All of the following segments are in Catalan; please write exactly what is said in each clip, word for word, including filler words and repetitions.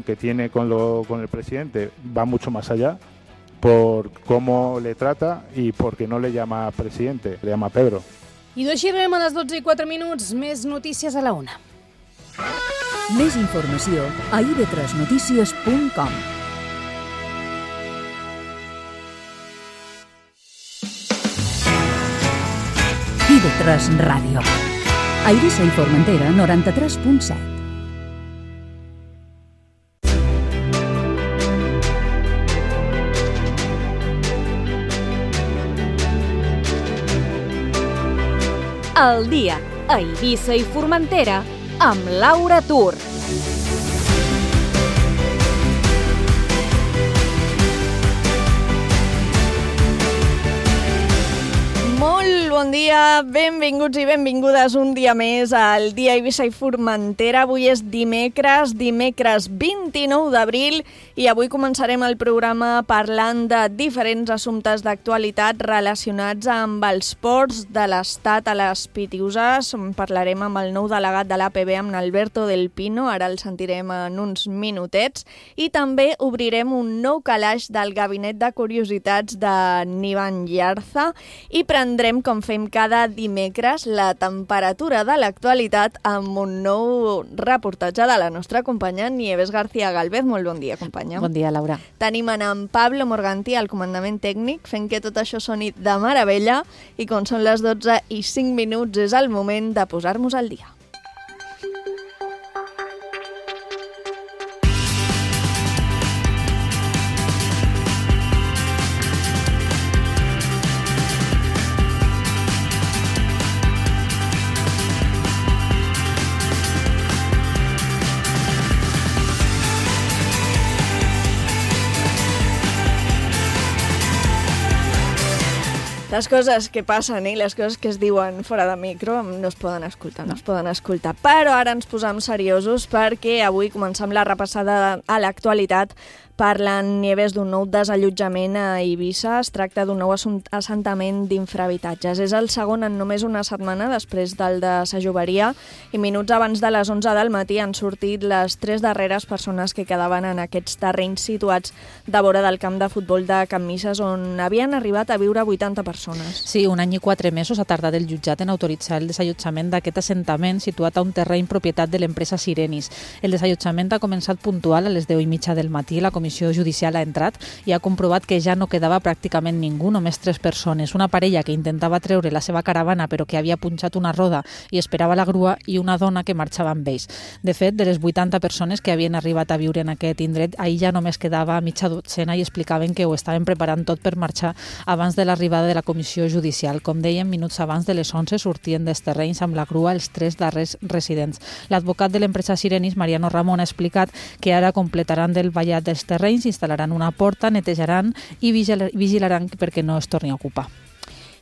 que tiene con, lo, con el presidente va mucho más allá por cómo le trata y porque no le llama presidente, le llama Pedro. I d'així arribem a les dotze i quatre minuts. Més notícies a la una. Més informació a i ve tres notícies punt com. i ve tres Ràdio. A Eivissa i Formentera, noranta-tres punt set. El dia a Eivissa i Formentera amb Laura Tur. Molt bon dia, benvinguts i benvingudes un dia més al dia a Eivissa i Formentera. Avui és dimecres, dimecres vint-i-nou d'abril i avui començarem el programa parlant de diferents assumptes d'actualitat relacionats amb els ports de l'Estat a les Pitiüses. Parlarem amb el nou delegat de l'A P B, amb Alberto del Pino, ara el sentirem en uns minutets, i també obrirem un nou calaix del Gabinet de Curiositats de Nivan Llarza i prendrem, com fem cada dimecres, la temperatura de l'actualitat amb un nou reportatge de la nostra companya Nieves García Galvez. Molt bon dia, companya. Bon dia, Laura. Tenim en Pablo Morganti al comandament tècnic, fent que tot això soni de meravella, i com són les dotze i cinc minuts és el moment de posar-nos al dia. Les coses que passen i les coses que es diuen fora de micro no es poden escoltar, no es poden escoltar. Però ara ens posam seriosos perquè avui comencem la repassada a l'actualitat parlant, Nieves, d'un nou desallotjament a Eivissa. Es tracta d'un nou assentament d'infrahabitatges. És el segon en només una setmana després del de Sa Joveria i minuts abans de les onze del matí han sortit les tres darreres persones que quedaven en aquests terrenys situats de vora del camp de futbol de Can Misses, on havien arribat a viure vuitanta persones. Sí, un any i quatre mesos ha tardat el jutjat en autoritzar el desallotjament d'aquest assentament situat a un terreny propietat de l'empresa Sirenis. El desallotjament ha començat puntual a les deu i mitja del matí. La comissió judicial ha entrat i ha comprovat que ja no quedava pràcticament ningú, només tres persones. Una parella que intentava treure la seva caravana però que havia punxat una roda i esperava la grua, i una dona que marxava amb ells. De fet, de les vuitanta persones que havien arribat a viure en aquest indret, ahir ja només quedava mitja dotzena i explicaven que ho estaven preparant tot per marxar abans de l'arribada de la comissió judicial. Com dèiem, minuts abans de les onze sortien dels terrenys amb la grua els tres darrers residents. L'advocat de l'empresa Sirenis, Mariano Ramon, ha explicat que ara completaran del vallat dels terrenys, instal·laran una porta, netejaran i vigilaran perquè no es torni a ocupar.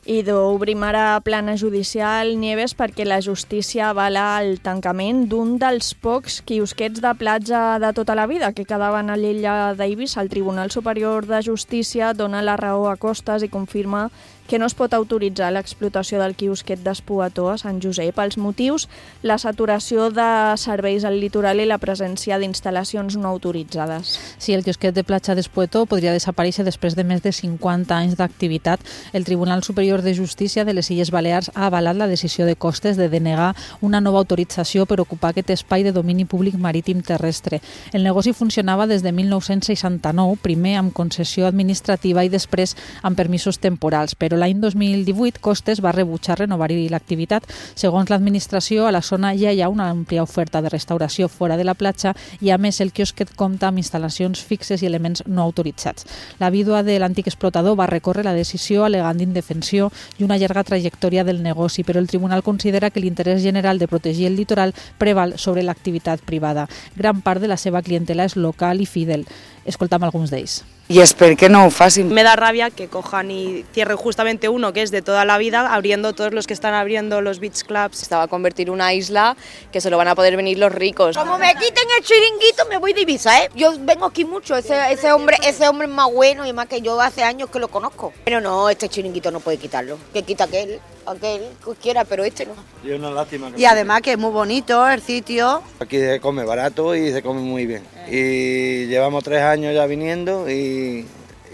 I d'obrim ara plana judicial, Nieves, perquè la justícia avala el tancament d'un dels pocs quiosquets de platja de tota la vida que quedaven a l'illa d'Eivissa. El Tribunal Superior de Justícia dona la raó a Costes i confirma que no es pot autoritzar l'explotació del quiosquet d'Espoató a Sant Josep. Els motius, la saturació de serveis al litoral i la presència d'instal·lacions no autoritzades. Sí, el quiosquet de platja d'Espoató podria desaparèixer després de més de cinquanta anys d'activitat. El Tribunal Superior de Justícia de les Illes Balears ha avalat la decisió de Costes de denegar una nova autorització per ocupar aquest espai de domini públic marítim terrestre. El negoci funcionava des de mil nou-cents seixanta-nou, primer amb concessió administrativa i després amb permisos temporals, però l'any dos mil divuit Costes va rebutjar renovar-hi l'activitat. Segons l'administració, a la zona ja hi ha una àmplia oferta de restauració fora de la platja i, a més, el quiosquet compta amb instal·lacions fixes i elements no autoritzats. La vídua de l'antic explotador va recórrer la decisió alegant indefensió i una llarga trajectòria del negoci, però el tribunal considera que l'interès general de protegir el litoral preval sobre l'activitat privada. Gran part de la seva clientela és local i fidel. Escoltam alguns d'ells. Y espero que no fácil. Me da rabia que cojan y cierren justamente uno que es de toda la vida, abriendo todos los que están abriendo los beach clubs. Estaba a convertir una isla que solo van a poder venir los ricos. Como me quiten el chiringuito me voy de Ibiza, ¿eh? Yo vengo aquí mucho, ese, ese, hombre, ese hombre es más bueno y más que yo, hace años que lo conozco. Pero no, este chiringuito no puede quitarlo, que quita aquel. aquel quiera, pero este no. Y una lástima. Y además que es muy bonito el sitio. Aquí se come barato y se come muy bien. Y llevamos tres años ya viniendo y,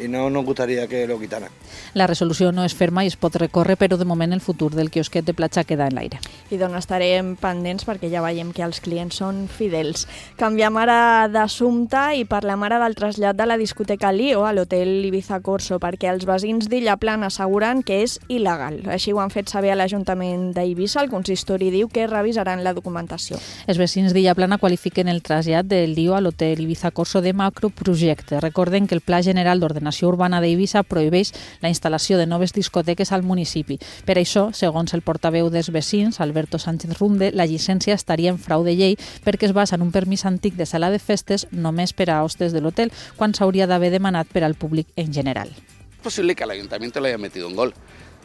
y no nos gustaría que lo quitaran. La resolució no és ferma i es pot recórrer, però de moment el futur del quiosquet de platja queda en l'aire. I d'on estarem pendents perquè ja veiem que els clients són fidels. Canviem ara d'assumpte i parlem ara del trasllat de la discoteca Lío a l'hotel Ibiza Corso, perquè els veïns d'Illa Plana asseguren que és il·legal. Així ho han fet saber a l'Ajuntament d'Eivissa. El consistori diu que revisaran la documentació. Els veïns d'Illa Plana qualifiquen el trasllat del Lío a l'hotel Ibiza Corso de macroprojecte. Recorden que el Pla General d'Ordenació Urbana d'Eivissa prohibeix la instal·lació de noves discoteques al municipi. Per això, segons el portaveu dels veïns, Alberto Sánchez Runde, la llicència estaria en frau de llei perquè es basa en un permís antic de sala de festes només per a hostes de l'hotel, quan s'hauria d'haver demanat per al públic en general. Es posible que el ayuntamiento le haya metido un gol.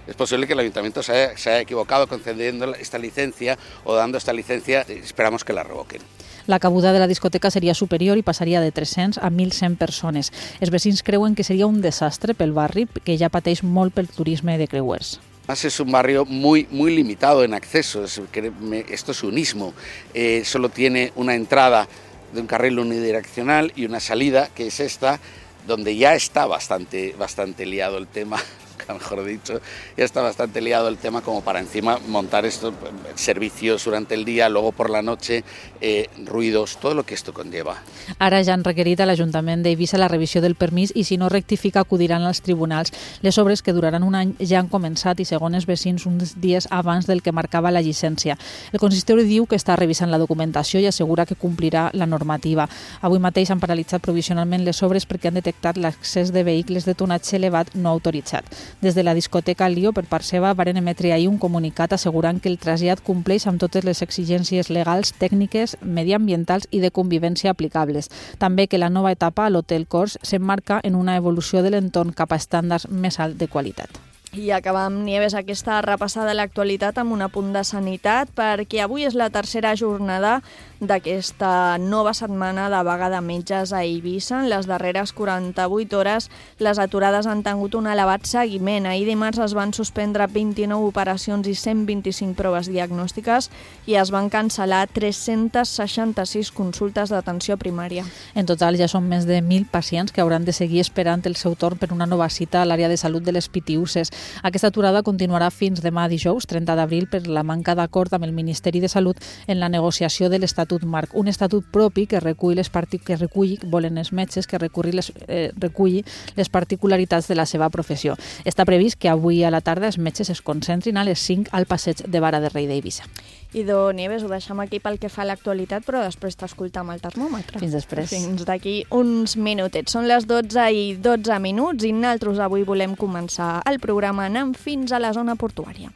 Es posible que el ayuntamiento se haya, se haya equivocado concediendo esta licencia o dando esta licencia. Esperamos que la revoquen. La cabuda de la discoteca seria superior i passaria de tres-cents a mil cent persones. Els veïns creuen que seria un desastre pel barri, que ja pateix molt pel turisme de creuers. Es un barrio muy, muy limitado en acceso, esto es un istmo, eh, solo tiene una entrada de un carril unidireccional y una salida, que es esta, donde ya está bastante, bastante liado el tema, mejor dicho, ya está bastante liado el tema como para encima montar estos servicios durante el día, luego por la noche, eh, ruidos, todo lo que esto conlleva. Ara ja han requerit a l'Ajuntament d'Eivissa la revisió del permís i si no rectifica acudiran als tribunals. Les obres, que duraran un any, ja han començat i segons els veïns uns dies abans del que marcava la llicència. El consistori diu que està revisant la documentació i assegura que complirà la normativa. Avui mateix han paralitzat provisionalment les obres perquè han detectat l'accés de vehicles de tonatge elevat no autoritzat. Des de la discoteca Lío, per part seva, varen emetre ahir un comunicat assegurant que el trasllat compleix amb totes les exigències legals, tècniques, mediambientals i de convivència aplicables. També que la nova etapa a l'Hotel Cors s'emmarca en una evolució de l'entorn cap a estàndards més alt de qualitat. I acabam, Nieves, aquesta repassada de l'actualitat amb un apunt de sanitat, perquè avui és la tercera jornada d'aquesta nova setmana de vaga de metges a Eivissa. En les darreres quaranta-vuit hores les aturades han tingut un elevat seguiment. Ahir dimarts es van suspendre vint-i-nou operacions i cent vint-i-cinc proves diagnòstiques i es van cancel·lar tres-cents seixanta-sis consultes d'atenció primària. En total ja són més de mil pacients que hauran de seguir esperant el seu torn per una nova cita a l'àrea de salut de les Pitiüses. Aquesta aturada continuarà fins demà dijous, trenta d'abril, per la manca d'acord amb el Ministeri de Salut en la negociació de l'Estatut Marc, un estatut propi que recull les partic que recull, volen els metges, que reculli les, eh, reculli les particularitats de la seva professió. Està previst que avui a la tarda els metges es concentrin a les cinc al passeig de Vara de Rei d'Eivissa. Idò, Nieves, ho deixem aquí pel que fa a l'actualitat, però després t'escolta amb el termòmetre. Fins després. Fins d'aquí uns minutets. Són les dotze i dotze minuts i nosaltres avui volem començar el programa anant fins a la zona portuària.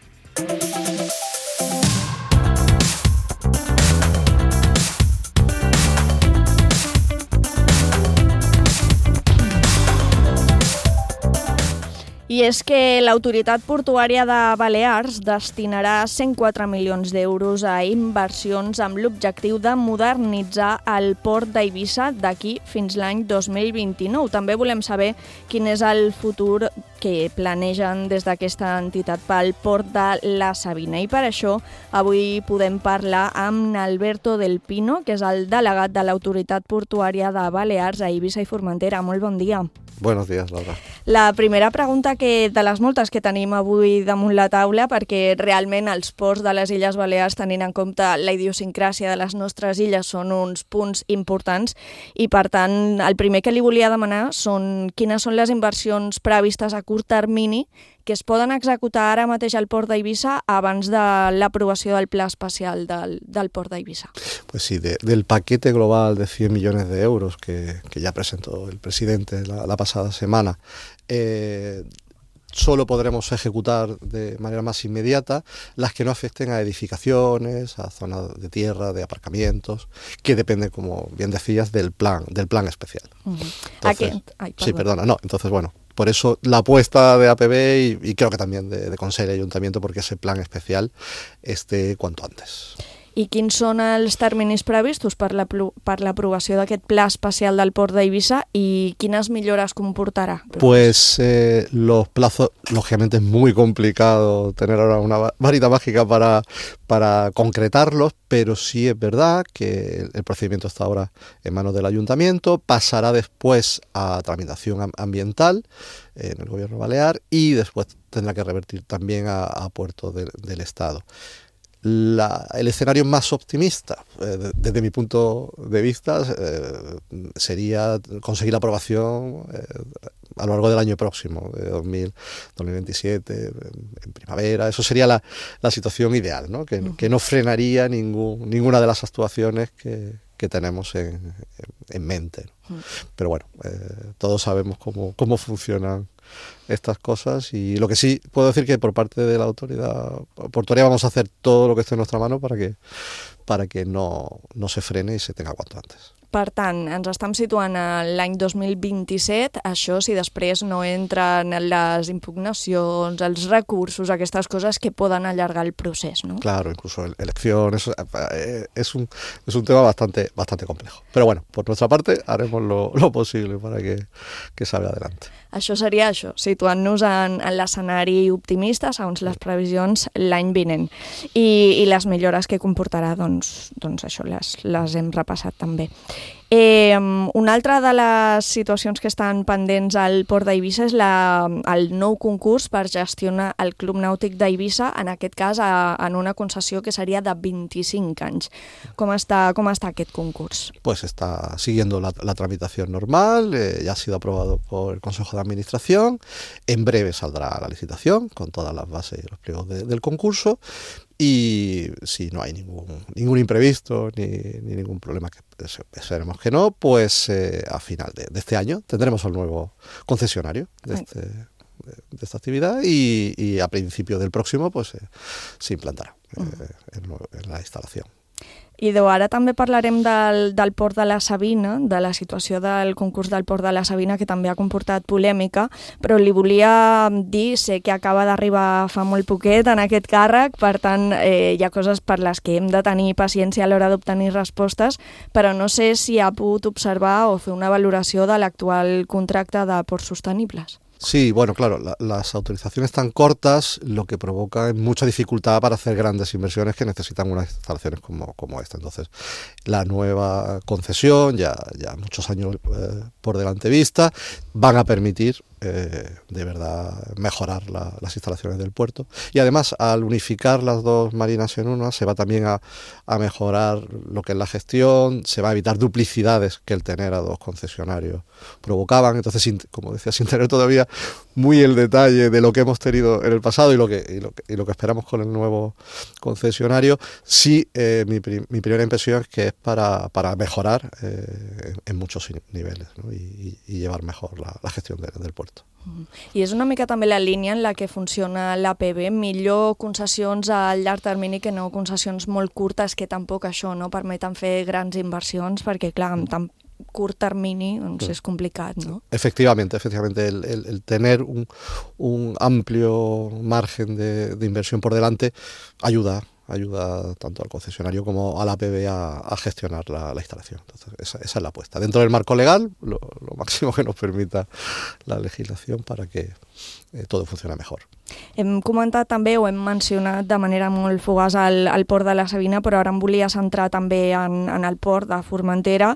I és que l'Autoritat Portuària de Balears destinarà cent quatre milions d'euros a inversions amb l'objectiu de modernitzar el port d'Eivissa d'aquí fins l'any dos mil vint-i-nou. També volem saber quin és el futur que planegen des d'aquesta entitat pel port de la Sabina. I per això avui podem parlar amb Alberto del Pino, que és el delegat de l'Autoritat Portuària de Balears a Eivissa i Formentera. Molt bon dia. Buenos días, Laura. La primera pregunta que de les moltes que tenim avui damunt la taula, perquè realment els ports de les Illes Balears, tenint en compte la idiosincràsia de les nostres illes, són uns punts importants i, per tant, el primer que li volia demanar són quines són les inversions previstes a curt termini que es poden executar ara mateix al port d'Eivissa abans de l'aprovació del pla especial del, del port d'Eivissa. Pues sí, de, del paquete global de cien millones de euros que, que ya presentó el presidente la, la pasada semana, eh, solo podremos ejecutar de manera más inmediata las que no afecten a edificaciones, a zonas de tierra, de aparcamientos, que dependen, como bien decías, del plan, del plan especial. Uh-huh. Entonces, ¿A Ay, sí, perdona, no, entonces bueno, por eso la apuesta de A P B y, y creo que también de, de Consejo y Ayuntamiento, porque ese plan especial esté cuanto antes. I quins són els terminis previstos per l'aprovació d'aquest pla especial del port d'Eivissa y quines millores comportará? Pues eh, los plazos, lógicamente es muy complicado tener ahora una varita mágica para, para concretarlos, pero sí es verdad que el procedimiento está ahora en manos del ayuntamiento, pasará después a tramitación ambiental en el gobierno balear y después tendrá que revertir también a, a puerto de, del Estado. La, el escenario más optimista, eh, desde mi punto de vista, eh, sería conseguir la aprobación eh, a lo largo del año próximo, de dos mil veintisiete, en, en primavera. Eso sería la, la situación ideal, ¿no? Que, que no frenaría ningún, ninguna de las actuaciones que, que tenemos en, en mente. Pero bueno, eh, todos sabemos cómo, cómo funcionan estas cosas y lo que sí puedo decir que por parte de la autoridad portuaria vamos a hacer todo lo que esté en nuestra mano para que, para que no, no se frene y se tenga cuanto antes. Per tant, ens estem situant a l'any dos mil vint-i-set, això si després no entren les impugnacions, els recursos, aquestes coses que poden allargar el procés, ¿no? Claro, incluso elecciones, es un, es un tema bastante, bastante complejo. Pero bueno, por nuestra parte haremos lo, lo posible para que, que salga adelante. Això seria això, situant-nos en, en l'escenari optimista, segons les previsions, l'any vinent. I, i les millores que comportarà, doncs, doncs això, les, les hem repassat també. Eh, una altra de les situacions que estan pendents al Port d'Eivissa és la, el nou concurs per gestionar el Club Nàutic d'Eivissa, en aquest cas a, en una concessió que seria de vint-i-cinc anys. Com està, com està aquest concurs? Pues está siguiendo la, la tramitación normal, eh, ya ha sido aprobado por el Consejo de Administración, en breve saldrá la licitación con todas las bases y los pliegos de, del concurso. Y si no hay ningún, ningún imprevisto ni, ni ningún problema, que esperemos que no, pues eh, a final de, de este año tendremos al nuevo concesionario de, este, de, de esta actividad y, y a principio del próximo pues eh, se implantará eh, en, en la instalación. I ara també parlarem del, del Port de la Sabina, de la situació del concurs del Port de la Sabina, que també ha comportat polèmica, però li volia dir, sé que acaba d'arribar fa molt poquet en aquest càrrec, per tant eh, hi ha coses per les que hem de tenir paciència a l'hora d'obtenir respostes, però no sé si ha pogut observar o fer una valoració de l'actual contracte de Ports Sostenibles. Sí, bueno, claro, la, las autorizaciones tan cortas lo que provoca mucha dificultad para hacer grandes inversiones que necesitan unas instalaciones como, como esta. Entonces, la nueva concesión, ya, ya muchos años eh, por delante vista, van a permitir eh, de verdad mejorar la, las instalaciones del puerto. Y además, al unificar las dos marinas en una, se va también a, a mejorar lo que es la gestión, se va a evitar duplicidades que el tener a dos concesionarios provocaban. Entonces, sin, como decía, sin tener todavía muy el detalle de lo que hemos tenido en el pasado y lo que, y lo que, y lo que esperamos con el nuevo concesionario, sí, eh, mi, mi primera impresión es que es para, para mejorar eh, en, en muchos niveles, ¿no? y, y llevar mejor la, la gestión de, del puerto. I és una mica també la línia en la que funciona l'A P B, millor concessions a llarg termini que no concessions molt curtes que tampoc això no permeten fer grans inversions, perquè clar, amb tan curt termini doncs es complicado, ¿no? Efectivamente, efectivamente el, el, el tener un, un amplio margen de, de inversión por delante ayuda ayuda tanto al concesionario como a la A P B a, a gestionar la, la instalación. Entonces, esa, esa es la apuesta. Dentro del marco legal, lo, lo máximo que nos permita la legislación para que eh, todo funcione mejor. Hem comentat també, o hem mencionat de manera molt fugaç el, el port de la Sabina, però ara em volia centrar també en, en el port de Formentera,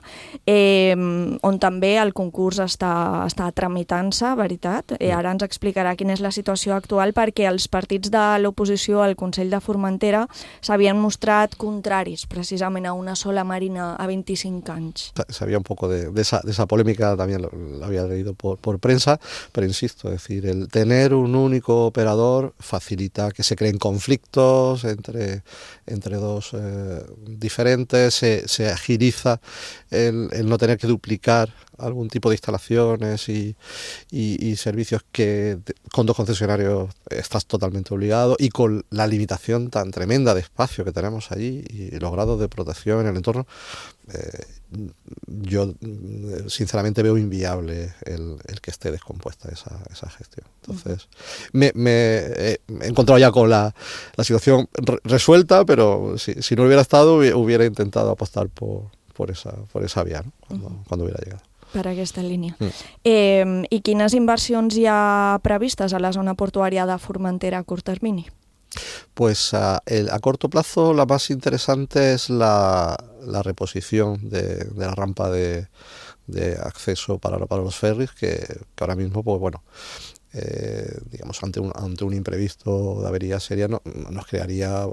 eh, on també el concurs està, està tramitant-se, veritat? Eh, ara ens explicarà quina és la situació actual, perquè els partits de l'oposició al Consell de Formentera s'havien mostrat contraris precisament a una sola marina a veinticinc anys. Sabía un poco de, de, esa, de esa polémica, también lo, lo había leído por, por prensa, pero insisto, es decir, el tener un único operador facilita que se creen conflictos entre, entre dos eh, diferentes, se, se agiliza el, el no tener que duplicar algún tipo de instalaciones y, y, y servicios que con dos concesionarios estás totalmente obligado, y con la limitación tan tremenda de espacio que tenemos allí y los grados de protección en el entorno, eh, yo sinceramente veo inviable el, el que esté descompuesta esa, esa gestión. Entonces, me, me he encontrado ya con la, la situación re resuelta, pero si, si no hubiera estado, hubiera intentado apostar por, por, esa, por esa vía, ¿no? Cuando, uh-huh. cuando hubiera llegado. Per aquesta línia. Mm. Eh, I quines inversions hi ha previstes a la zona portuària de Formentera a curt termini? Pues a, el, a corto plazo la más interesante es la, la reposición de, de la rampa de, de acceso para, para los ferries, que, que ahora mismo, pues bueno, eh, digamos, ante un, ante un imprevisto de avería seria no, nos crearía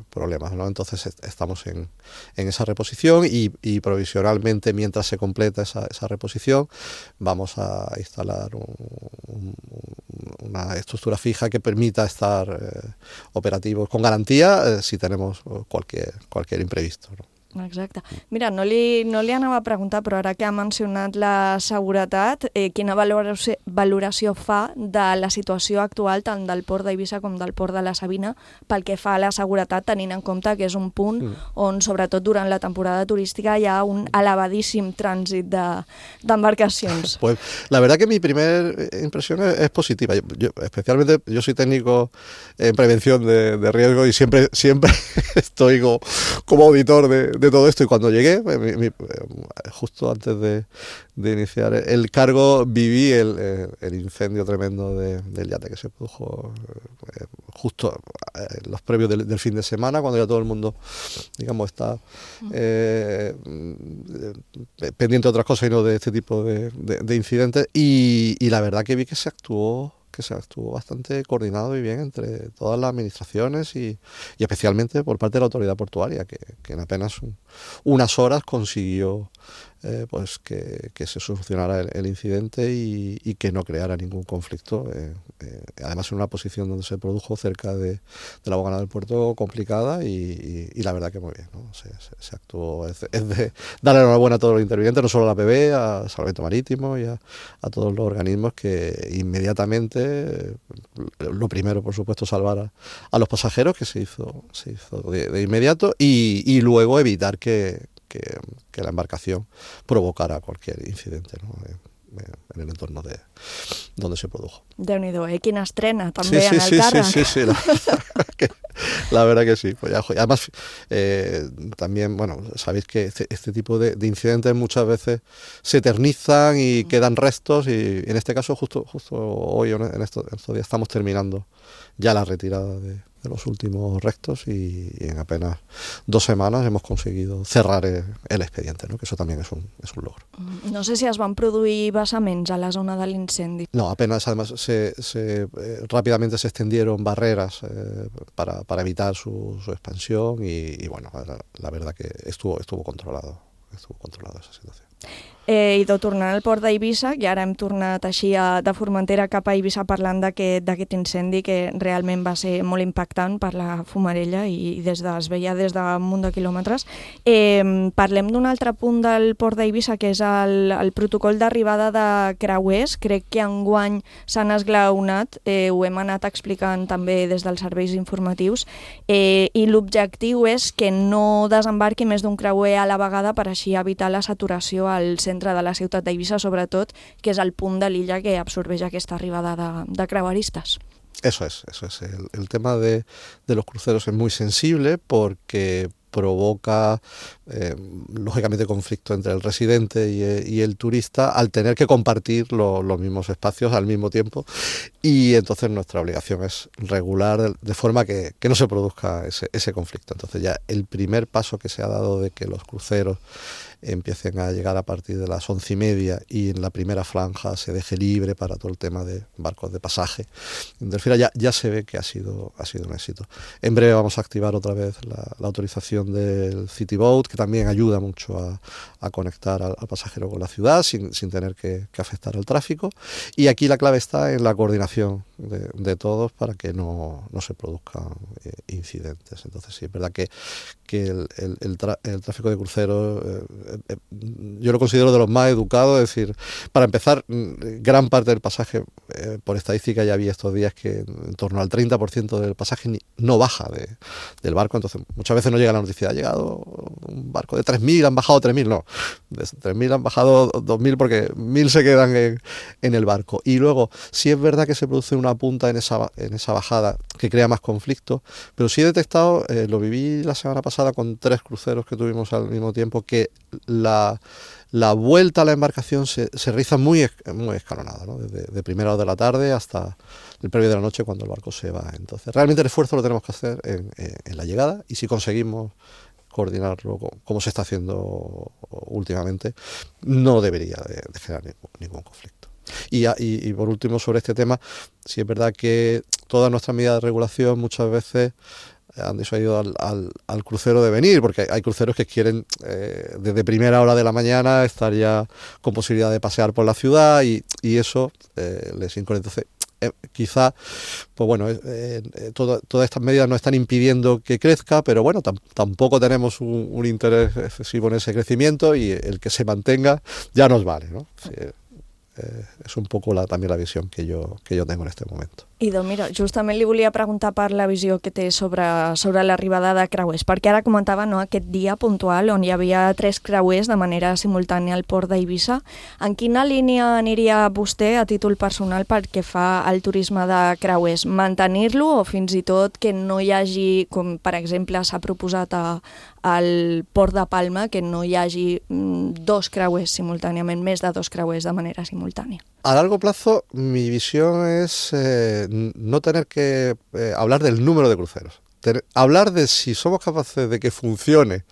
problemas, ¿no? Entonces est estamos en, en esa reposición y, y provisionalmente, mientras se completa esa, esa reposición, vamos a instalar un, un, una estructura fija que permita estar eh, operativos con garantía eh, si tenemos cualquier, cualquier imprevisto, ¿no? Exacte. Mira, no li, no li anava a preguntar, però ara que ha mencionat la seguretat, eh, quina valoració, valoració fa de la situació actual tant del port d'Eivissa com del port de la Sabina pel que fa a la seguretat, tenint en compte que és un punt mm. on, sobretot durant la temporada turística, hi ha un elevadíssim trànsit d'embarcacions. De, pues la verdad que mi primera impresión es, es positiva. Yo, yo, especialmente, yo soy técnico en prevención de, de riesgo y siempre, siempre estoy como, como auditor de de todo esto, y cuando llegué, mi, mi, justo antes de, de iniciar el cargo, viví el, el, el incendio tremendo de, del yate que se produjo eh, justo en los previos del, del fin de semana, cuando ya todo el mundo, digamos, está eh, pendiente de otras cosas y no de este tipo de, de, de incidentes, y, y la verdad que vi que se actuó que se estuvo bastante coordinado y bien entre todas las administraciones y, y especialmente por parte de la autoridad portuaria, que, que en apenas un, unas horas consiguió eh, pues que, que se solucionara el, el incidente y, y que no creara ningún conflicto, eh, eh, además en una posición donde se produjo cerca de, de la bocana del puerto complicada, y, y, y la verdad que muy bien, ¿no? Se, se, se actuó, es, es de darle enhorabuena a todos los intervinientes, no solo a la P B, a Salvamento Marítimo y a, a todos los organismos que inmediatamente, lo primero por supuesto salvar a, a los pasajeros, que se hizo, se hizo de, de inmediato, y, y luego evitar que, que, que la embarcación provocara cualquier incidente, ¿no? En el entorno de donde se produjo. Déu-n'hi-do, eh? Quina estrena també sí, sí, en el sí, càrrec. Sí, sí, sí, la verdad que, la verdad que sí. Pues ya, además, eh, también, bueno, sabéis que este, este tipo de, de incidentes muchas veces se eternizan y quedan restos, y en este caso justo, justo hoy, en estos, en estos días, estamos terminando ya la retirada de, de los últimos restos, y, y en apenas dos semanas hemos conseguido cerrar el, el expediente, ¿no? Que eso también es un, es un logro. No sé si es van produir vessaments a la zona de l'incendi. No, apenas, además se, se, eh, rápidamente se extendieron barreras eh, para, para evitar su, su expansión, y, y bueno, la, la verdad que estuvo, estuvo controlado, estuvo controlada esa situación. Eh, I de tornant al port d'Eivissa, i ara hem tornat així a, de Formentera cap a Eivissa parlant d'aquest incendi que realment va ser molt impactant per la fumarella i, i des de, es veia des d'un munt de quilòmetres. Eh, parlem d'un altre punt del port d'Eivissa, que és el, el protocol d'arribada de creuers. Crec que enguany s'han esglaonat, eh, ho hem anat explicant també des dels serveis informatius, eh, i l'objectiu és que no desembarqui més d'un creuer a la vegada per així evitar la saturació al centre de la ciutat d'Eivissa, sobretot, que és el punt de l'illa que absorbeix aquesta arribada de, de creueristes. Eso es, eso es. El, el tema de, de los cruceros es muy sensible porque provoca, eh, lógicamente, conflicto entre el residente y, y el turista al tener que compartir lo, los mismos espacios al mismo tiempo, y entonces nuestra obligación es regular de, de forma que, que no se produzca ese, ese conflicto. Entonces ya el primer paso que se ha dado de que los cruceros empiecen a llegar a partir de las once y media y en la primera franja se deje libre para todo el tema de barcos de pasaje, ya, ya se ve que ha sido, ha sido un éxito. En breve vamos a activar otra vez la, la autorización instalación del City Boat, que también ayuda mucho a, a conectar al, al pasajero con la ciudad sin, sin tener que, que afectar al tráfico. Y aquí la clave está en la coordinación de, de todos para que no, no se produzcan eh, incidentes. Entonces sí, es verdad que, que el, el, el, tra, el tráfico de cruceros eh, eh, yo lo considero de los más educados. Es decir, para empezar, gran parte del pasaje, eh, por estadística ya había estos días que en torno al treinta por ciento del pasaje ni, no baja de, del barco. Entonces muchas veces no llega la noticia, ha llegado un barco de tres mil, han bajado tres mil, no, de tres mil han bajado dos mil porque mil se quedan en, en el barco. Y luego, sí es verdad que se produce una punta en esa, en esa bajada que crea más conflicto, pero sí he detectado, eh, lo viví la semana pasada con tres cruceros que tuvimos al mismo tiempo, que la, la vuelta a la embarcación se, se realiza muy, muy escalonada, ¿no? Desde de primera hora de la tarde hasta el previo de la noche cuando el barco se va. Entonces, realmente el esfuerzo lo tenemos que hacer en, en, en la llegada, y si conseguimos coordinarlo como se está haciendo últimamente, no debería de, de generar ningún, ningún conflicto. Y, y, y por último, sobre este tema, sí es verdad que todas nuestras medidas de regulación muchas veces han disuadido al, al, al crucero de venir, porque hay cruceros que quieren eh, desde primera hora de la mañana estar ya con posibilidad de pasear por la ciudad, y, y eso eh, les incorre. Entonces, Eh, quizá, pues bueno, eh, eh, todo, todas estas medidas no están impidiendo que crezca, pero bueno, tam, tampoco tenemos un, un interés excesivo en ese crecimiento, y el que se mantenga ya nos vale, ¿no? Sí, eh, és un poc la, també la visió que jo, que jo tengo en este moment. I doncs mira, justament li volia preguntar per la visió que té sobre, sobre l'arribada de creuers, perquè ara comentava, no, aquest dia puntual on hi havia tres creuers de manera simultània al port d'Eivissa. En quina línia aniria vostè a títol personal perquè fa el turisme de creuers? Mantenir-lo o fins i tot que no hi hagi, com per exemple s'ha proposat a, al port de Palma, que no hi hagi mm, dos creuers simultàniament, més de dos creuers de manera simultània? A largo plazo, mi visión es eh, no tener que eh, hablar del número de cruceros. Tener, hablar de si somos capaces de que funcione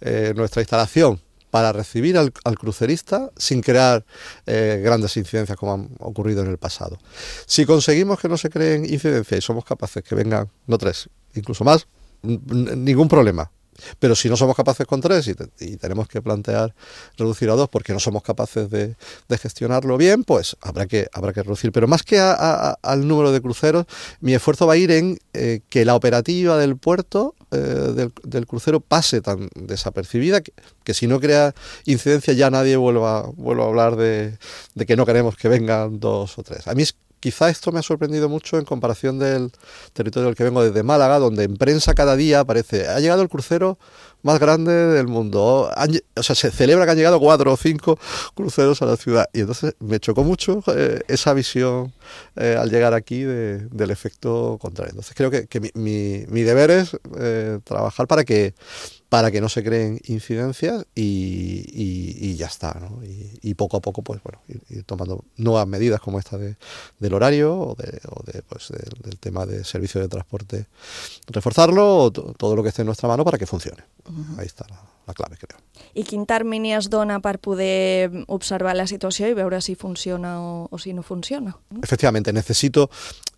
eh, nuestra instalación para recibir al, al crucerista sin crear eh, grandes incidencias como han ocurrido en el pasado. Si conseguimos que no se creen incidencias y somos capaces que vengan, no tres, incluso más, ningún problema. Pero si no somos capaces con tres y, te, y tenemos que plantear reducir a dos porque no somos capaces de, de gestionarlo bien, pues habrá que, habrá que reducir. Pero más que a, a, al número de cruceros, mi esfuerzo va a ir en eh, que la operativa del puerto, eh, del, del crucero, pase tan desapercibida que, que si no crea incidencia ya nadie vuelva, vuelva a hablar de, de que no queremos que vengan dos o tres. A mí es Quizá esto me ha sorprendido mucho en comparación del territorio del que vengo, desde Málaga, donde en prensa cada día aparece, ha llegado el crucero más grande del mundo. Han, o sea, se celebra que han llegado cuatro o cinco cruceros a la ciudad. Y entonces me chocó mucho eh, esa visión eh, al llegar aquí de, del efecto contrario. Entonces creo que, que mi, mi, mi deber es eh, trabajar para que para que no se creen incidencias y, y, y ya está, ¿no? Y, y poco a poco, pues bueno, ir, ir tomando nuevas medidas como esta de, del horario o, de, o de, pues, de, del tema de servicio de transporte, reforzarlo o to, todo lo que esté en nuestra mano para que funcione. Uh-huh. Ahí está la, la clave, creo. I quin termini es dona per poder observar la situació i veure si funciona o, o si no funciona? Efectivamente, necesito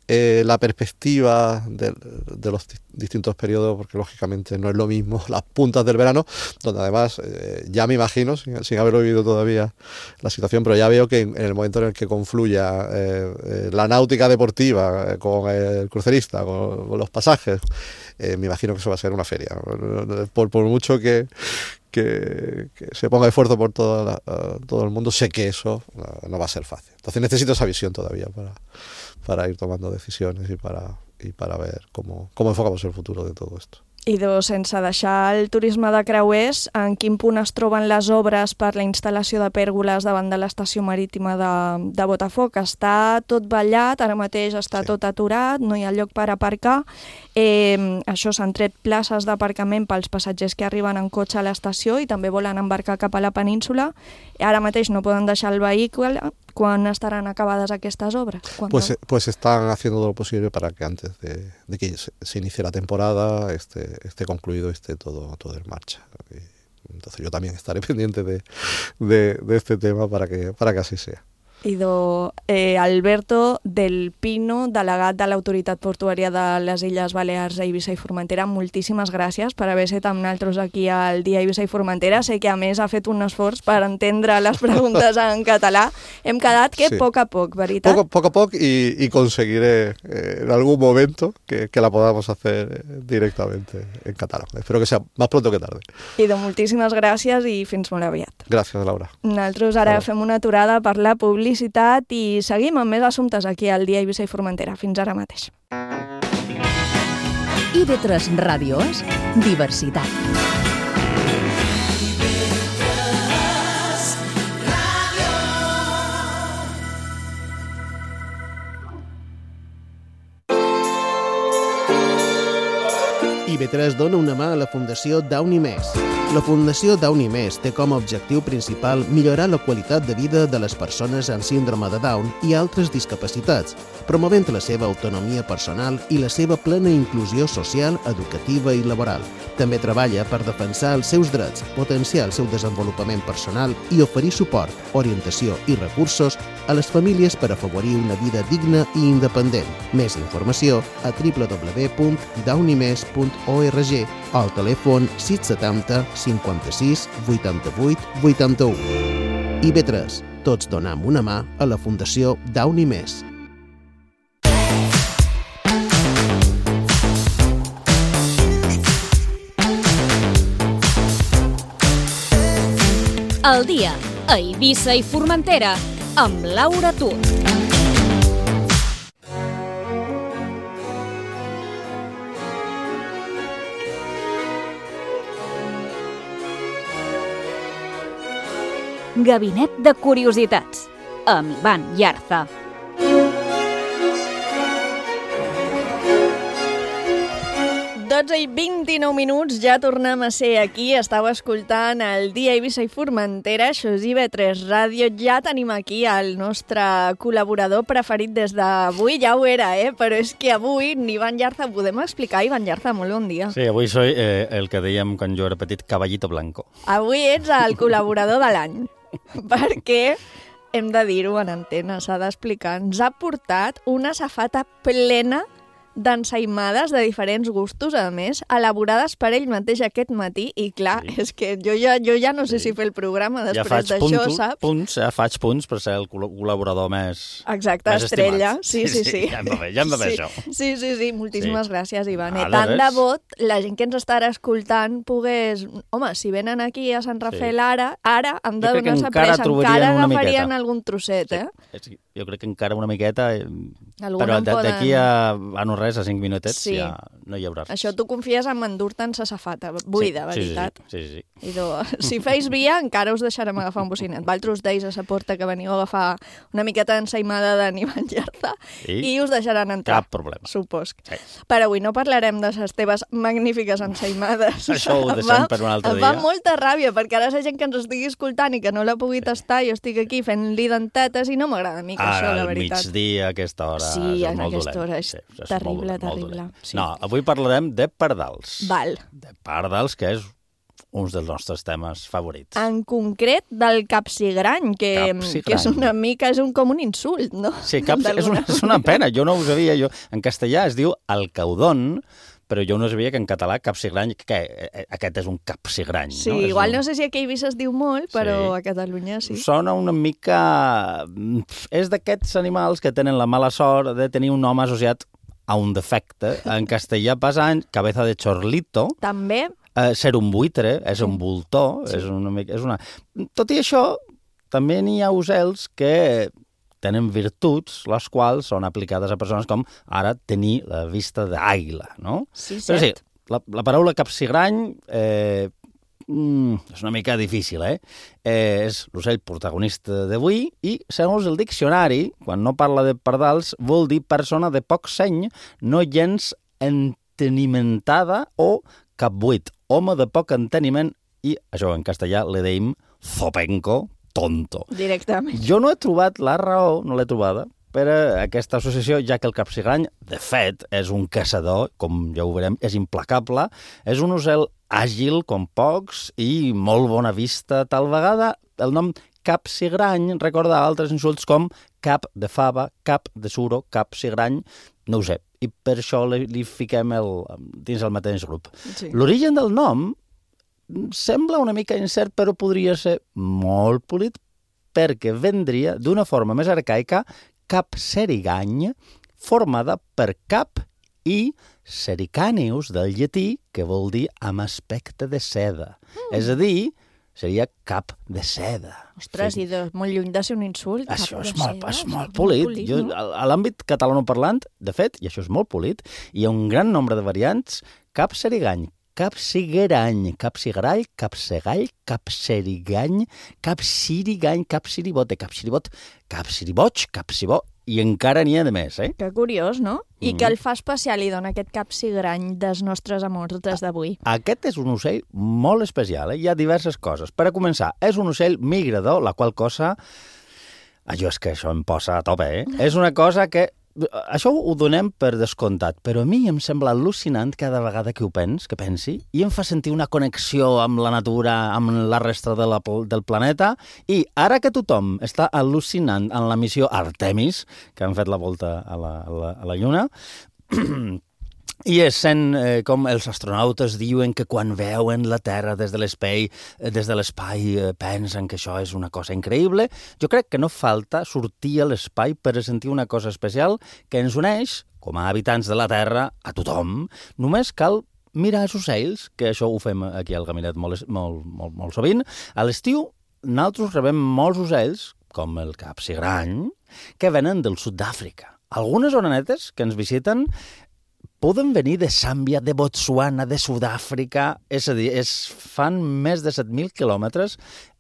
eh, la perspectiva de, de los distintos periodos, porque lógicamente no es lo mismo las puntas del verano, donde además eh, ya me imagino, sin, sin haberlo vivido todavía la situación, pero ya veo que en, en el momento en el que confluya eh, eh, la náutica deportiva eh, con el crucerista, con, con los pasajes, eh, me imagino que eso va a ser una feria. Por, por mucho que Que, que se ponga esfuerzo por toda la, uh, todo el mundo, sé que eso uh, no va a ser fácil. Entonces necesito esa visión todavía para, para ir tomando decisiones y para, y para ver cómo, cómo enfocamos el futuro de todo esto. I doncs, sense deixar el turisme de creuers, en quin punt es troben les obres per la instal·lació de pèrgoles davant de l'estació marítima de, de Botafoc? Està tot ballat, ara mateix està sí. tot aturat, no hi ha lloc per aparcar. Eh, això s'han tret places d'aparcament pels passatgers que arriben en cotxe a l'estació i també volen embarcar cap a la península. Ara mateix no poden deixar el vehicle. ¿Cuán estarán acabadas estas obras? Pues, pues están haciendo todo lo posible para que antes de, de que se, se inicie la temporada esté, esté concluido, esté todo, todo en marcha. Y entonces yo también estaré pendiente de, de, de este tema para que, para que así sea. Idò eh, Alberto del Pino, delegat de l'Autoritat Portuària de les Illes Balears a Eivissa i Formentera, moltíssimes gràcies per haver estat amb nosaltres aquí al Dia Eivissa i Formentera. Sé que a més ha fet un esforç per entendre les preguntes en català. Hem quedat que sí. poc a poc, veritat? Poco, poco a poco y, y conseguiré eh, en algún momento que, que la podamos hacer directamente en catalán. Espero que sea más pronto que tarde. Idò, moltíssimes gràcies i fins molt aviat. Gràcies, Laura. Nosaltres ara fem una aturada per la publicitat i seguim amb més assumptes aquí al Dia Eivissa i Formentera. Fins ara mateix. I ve tres Ràdio és diversitat. I ve tres dona una mà a la Fundació Downy Més. La Fundació Downy Més té com a objectiu principal millorar la qualitat de vida de les persones amb síndrome de Down i altres discapacitats, promovent la seva autonomia personal i la seva plena inclusió social, educativa i laboral. També treballa per defensar els seus drets, potenciar el seu desenvolupament personal i oferir suport, orientació i recursos a les famílies per afavorir una vida digna i independent. Més informació a w w w punt downy mes punt org o al telèfon sis setanta cinquanta-sis vuitanta-vuit vuitanta-u. I ve tres, tots donam una mà a la Fundació Downy Més. El dia a Eivissa i Formentera amb Laura Tur. Gabinet de Curiositats amb Ivan Yarza. dotze i vint-i-nou minuts, ja tornem a ser aquí. Estàu escoltant el Dia Eivissa i Formentera, això és I ve tres Ràdio. Ja tenim aquí el nostre col·laborador preferit des d'avui, ja ho era, eh? Però és que avui, Ivan Yarza, podem explicar? Ivan Yarza, molt bon dia. Sí, avui soy eh, el que dèiem quan jo era petit, caballito blanco. Avui ets el col·laborador de l'any, perquè hem de dir-ho en antena, s'ha d'explicar. Ens ha portat una safata plena d'ensaïmades de diferents gustos, a més, elaborades per ell mateix aquest matí, i clar, sí. és que jo ja, jo ja no sé sí. si fer el programa després ja d'això, saps? Punts, ja faig punts per ser el col·laborador més Exacte, més estrella. Sí, sí, sí. sí. Ja em va bé, ja em va bé sí. això. Sí, sí, sí, moltíssimes sí. gràcies, Ivan. Ah, Tant de bot, la gent que ens estarà escoltant pogués... Home, si venen aquí a Sant Rafael sí. ara, ara han de donar-se pressa, encara agafarien algun trosset, eh? Sí. Jo crec que encara una miqueta, eh, Alguna però d'aquí poden... a, a no res, a cinc minutets, sí. ja no hi haurà res. Això tu confies en endur-te'n sa safata, buida, sí, veritat. Sí, sí, sí. I do, si feis via, encara us deixarem agafar un bocinet. Valtros deis a sa porta que veniu a agafar una miqueta d'ensaïmada de Ivan Yarza i, i us deixaran entrar. Cap problema. Supos. Sí. Però avui no parlarem de les teves magnífiques ensaïmades. Això ho deixem per un altre dia. Em dia. fa molta ràbia, perquè ara la gent que ens estigui escoltant i que no la pugui tastar, jo estic aquí fent-li dentetes i no m'agrada a mi que ara, això, la veritat. Ara, al migdia, a aquesta hora, sí, és en molt aquesta dolent. hora és, sí, és terrible, molt, terrible. Molt sí. No, avui parlarem de pardals. Val. De pardals, que és un dels nostres temes favorits. En concret del capsigrany, que, capsigrany. que és una mica, és un, com un insult, no? Sí, cap, és, una, és una pena, jo no ho sabia. Jo, en castellà es diu alcaudón, però jo no sabia que en català capsigrany, que aquest és un capsigrany. Sí, no? igual un... no sé si aquí a Eivissa es diu molt, però sí. a Catalunya sí. Sona una mica... És d'aquests animals que tenen la mala sort de tenir un nom associat a un defecte. En castellà passa cabeza de chorlito. També. Eh, ser un buitre, és un voltor, sí. és una mica... És una... Tot i això, també n'hi ha ocells que tenen virtuts, les quals són aplicades a persones com ara tenir la vista d'àguila, no? Sí, Però sí, la, la paraula capsigrany eh, mm, és una mica difícil, eh? eh és l'ocell protagonista d'avui i, segons el diccionari, quan no parla de pardals, vol dir persona de poc seny, no gens entenimentada o capbuit, home de poc enteniment, i això en castellà le deim zopenco, tonto. Directament. Jo no he trobat la raó, no l'he trobada, per a aquesta associació, ja que el capsigrany, de fet, és un caçador, com ja ho veurem, és implacable, és un ocel àgil com pocs i molt bona vista, tal vegada el nom capsigrany recorda altres insults com cap de fava, cap de suro, capsigrany, no ho sé. I per això li, li fiquem el, dins el mateix grup. Sí. L'origen del nom sembla una mica incert, però podria ser molt polit perquè vendria d'una forma més arcaica capserigany, formada per cap i sericanius del llatí, que vol dir amb aspecte de seda. Mm. És a dir, seria cap de seda. Ostres, sí. I de molt lluny de ser un insult. Això és molt, és molt polit. Molt polit jo, no? A l'àmbit catalanoparlant, de fet, i això és molt polit, hi ha un gran nombre de variants, capserigany, capsigrany, capsigrall, capsegall, capserigany, capsirigany, capsiribot, capsiribot, capsiriboig, capsibó, i encara n'hi ha de més, eh? Que curiós, no? I mm. que el fa especial i dona aquest capsigrany dels nostres amors des d'avui. Aquest és un ocell molt especial, eh? Hi ha diverses coses. Per a començar, és un ocell migrador, la qual cosa... Allò és que això em posa a tope, eh? És una cosa que... Això ho donem per descomptat, però a mi em sembla al·lucinant cada vegada que ho pens, que pensi, i em fa sentir una connexió amb la natura, amb la resta de la, del planeta, i ara que tothom està al·lucinant en la missió Artemis, que han fet la volta a la, a la, a la Lluna, i és sent eh, com els astronautes diuen que quan veuen la Terra des de l'espai, eh, des de l'espai eh, pensen que això és una cosa increïble. Jo crec que no falta sortir a l'espai per sentir una cosa especial que ens uneix, com a habitants de la Terra, a tothom. Només cal mirar els ocells, que això ho fem aquí al Gabinet molt, molt, molt, molt sovint. A l'estiu, nosaltres rebem molts ocells, com el capsigrany, que venen del sud d'Àfrica. Algunes orenetes que ens visiten poden venir de Zàmbia, de Botswana, de Sud-àfrica, és a dir, es fan més de set mil quilòmetres.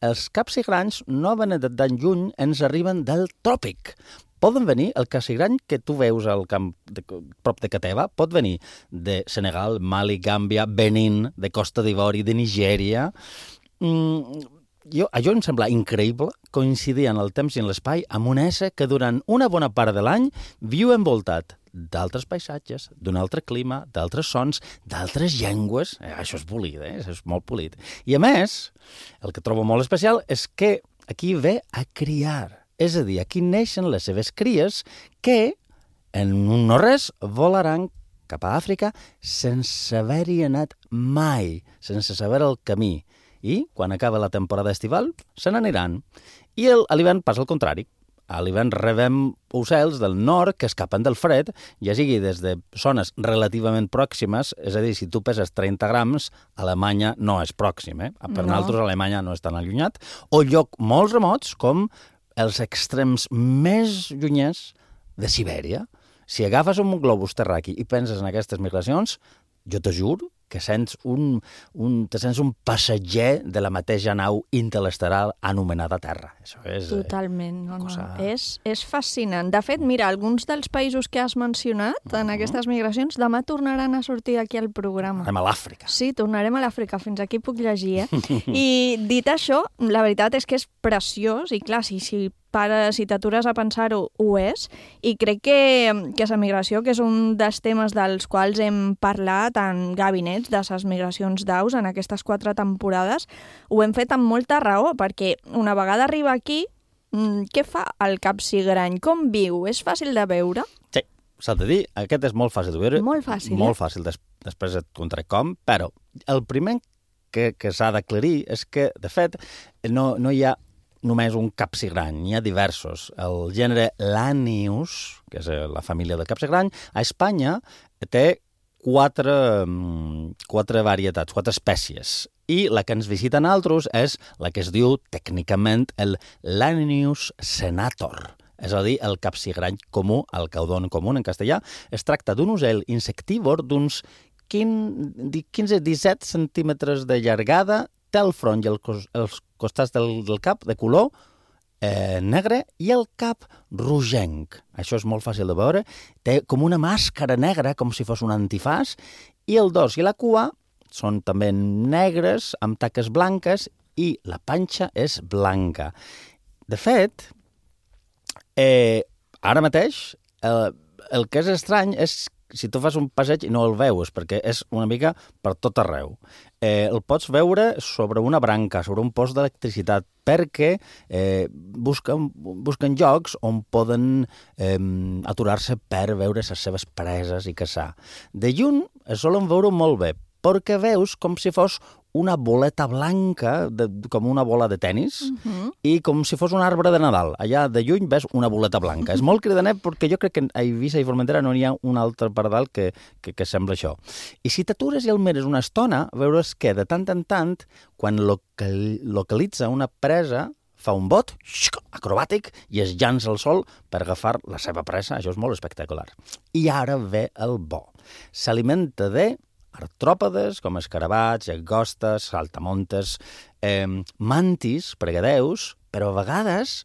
Els capsigranys no venen de tan lluny, ens arriben del tròpic. Poden venir, el capsigrany que tu veus al camp de, prop de Cateva, pot venir de Senegal, Mali, Gàmbia, Benín, de Costa d'Ivori, de Nigèria. Mm, jo, allò em sembla increïble coincidir en el temps i en l'espai amb un ésser que durant una bona part de l'any viu envoltat d'altres paisatges, d'un altre clima, d'altres sons, d'altres llengües. Eh, això és polit, eh? Això és molt polit. I a més, el que trobo molt especial és que aquí ve a criar. És a dir, aquí neixen les seves cries que, en un no res, volaran cap a Àfrica sense haver-hi anat mai, sense saber el camí. I, quan acaba la temporada estival, se n'aniran. I el, a l'hivern passa el contrari. A l'hivern rebem ocells del nord que escapen del fred, ja sigui des de zones relativament pròximes, és a dir, si tu peses trenta grams, Alemanya no és pròxim, eh? Per no. Nosaltres Alemanya no és tan allunyat, o lloc molt remots com els extrems més llunyers de Sibèria. Si agafes un globus terraqui i penses en aquestes migracions, jo te juro que sents un, un, te sents un passatger de la mateixa nau interestelar anomenada Terra. Això és... Totalment. No, cosa... no. És, és fascinant. De fet, mira, alguns dels països que has mencionat uh-huh. en aquestes migracions demà tornaran a sortir aquí al programa. Anem a l'Àfrica. Sí, tornarem a l'Àfrica. Fins aquí puc llegir, eh? I dit això, la veritat és que és preciós i clar, si, si para, si t'atures a pensar-ho, ho és. I crec que, que la migració, que és un dels temes dels quals hem parlat en gabinets de les migracions d'aus en aquestes quatre temporades, ho hem fet amb molta raó, perquè una vegada arriba aquí, què fa el capsigrany? Com viu? És fàcil de veure? Sí, s'ha de dir, aquest és molt fàcil de veure. Molt fàcil, Molt eh? fàcil, des, després et contaré com, però el primer que, que s'ha d'aclarir és que, de fet, no, no hi ha només un capsigrany, n'hi ha diversos. El gènere Lanius, que és la família del capsigrany, a Espanya té quatre, quatre varietats, quatre espècies. I la que ens visita a nosaltres és la que es diu tècnicament el Lanius senator, és a dir, el capsigrany comú, el caudón comú en castellà. Es tracta d'un ocell insectívor d'uns quinze a disset centímetres de llargada, té el front i el cos, els costats del, del cap de color eh, negre i el cap rogenc. Això és molt fàcil de veure. Té com una màscara negra, com si fos un antifàs, i el dors i la cua són també negres, amb taques blanques, i la panxa és blanca. De fet, eh, ara mateix, eh, el que és estrany és si tu fas un passeig i no el veus, perquè és una mica per tot arreu. Eh, el pots veure sobre una branca, sobre un post d'electricitat, perquè eh, busquen, busquen llocs on poden eh, aturar-se per veure les seves preses i caçar. De lluny es solen veure molt bé, perquè veus com si fos una boleta blanca, de, com una bola de tennis, uh-huh. i com si fos un arbre de Nadal. Allà de lluny ves una boleta blanca. És molt cridaner perquè jo crec que a Eivissa i Formentera no hi ha un altre pardal que, que, que sembla això. I si t'atures i el mires una estona, veuràs que de tant en tant, quan local, localitza una presa, fa un bot acrobàtic i es llança al sol per agafar la seva presa. Això és molt espectacular. I ara ve el bo. S'alimenta de artròpodes, com escarabats, llagostes, saltamontes, eh, mantis, pregadeus, però a vegades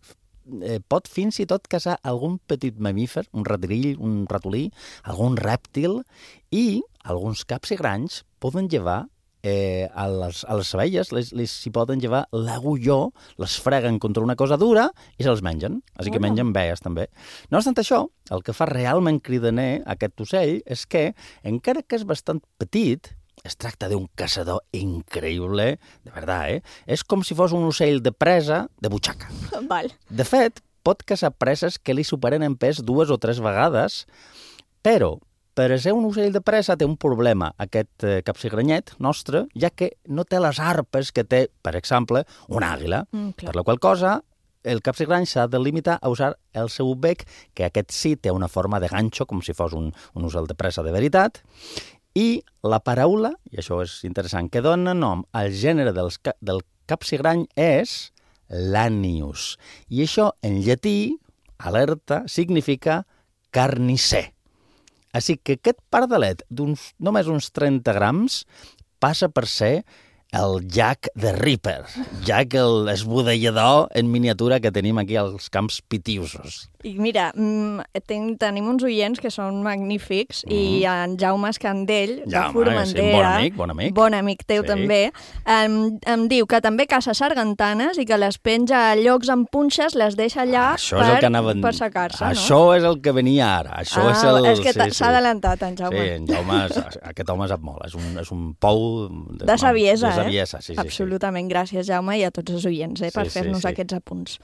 eh, pot fins i tot caçar algun petit mamífer, un ratolill, un ratolí, algun rèptil, i alguns caps i granys poden llevar Eh, a, les, a les abelles les, les s'hi poden llevar l'agulló, les freguen contra una cosa dura i se'ls mengen. Així que mengen baies, també. No obstant això, el que fa realment cridaner aquest ocell és que, encara que és bastant petit, es tracta d'un caçador increïble, de veritat, eh? És com si fos un ocell de presa de butxaca. Val. De fet, pot caçar preses que li superen en pes dues o tres vegades, però per ser un ocell de presa té un problema, aquest eh, capsigranyet nostre, ja que no té les arpes que té, per exemple, una àguila. Mm, per la qual cosa, el capsigrany s'ha de limitar a usar el seu bec, que aquest sí té una forma de ganxo, com si fos un, un ocell de presa de veritat, i la paraula, i això és interessant, que dona nom al gènere dels, del capsigrany és lanius. I això, en llatí, alerta, significa carnisser. Així que aquest pardalet d'uns només uns trenta grams passa per ser el Jack the Ripper, Jack el esbudellador en miniatura que tenim aquí als camps pitiusos. I mira, ten, tenim uns oients que són magnífics mm. i en Jaume Escandell, de Jaume, Formentera, sí, bon amic, bon amic. Bon amic teu sí. també, em, em diu que també caça sargantanes i que les penja a llocs amb punxes, les deixa allà Això per, és anava... per secar-se, no? Això és el que venia ara. Això ah, és, el... és que s'ha sí, sí. adelantat, en Jaume. Sí, en Jaume, aquest home sap molt, és un, és un pou... De, de saviesa, de saviesa, eh? Sí, sí, absolutament. Sí. Gràcies, Jaume, i a tots els oients, eh, per sí, fer-nos sí, sí. aquests apunts.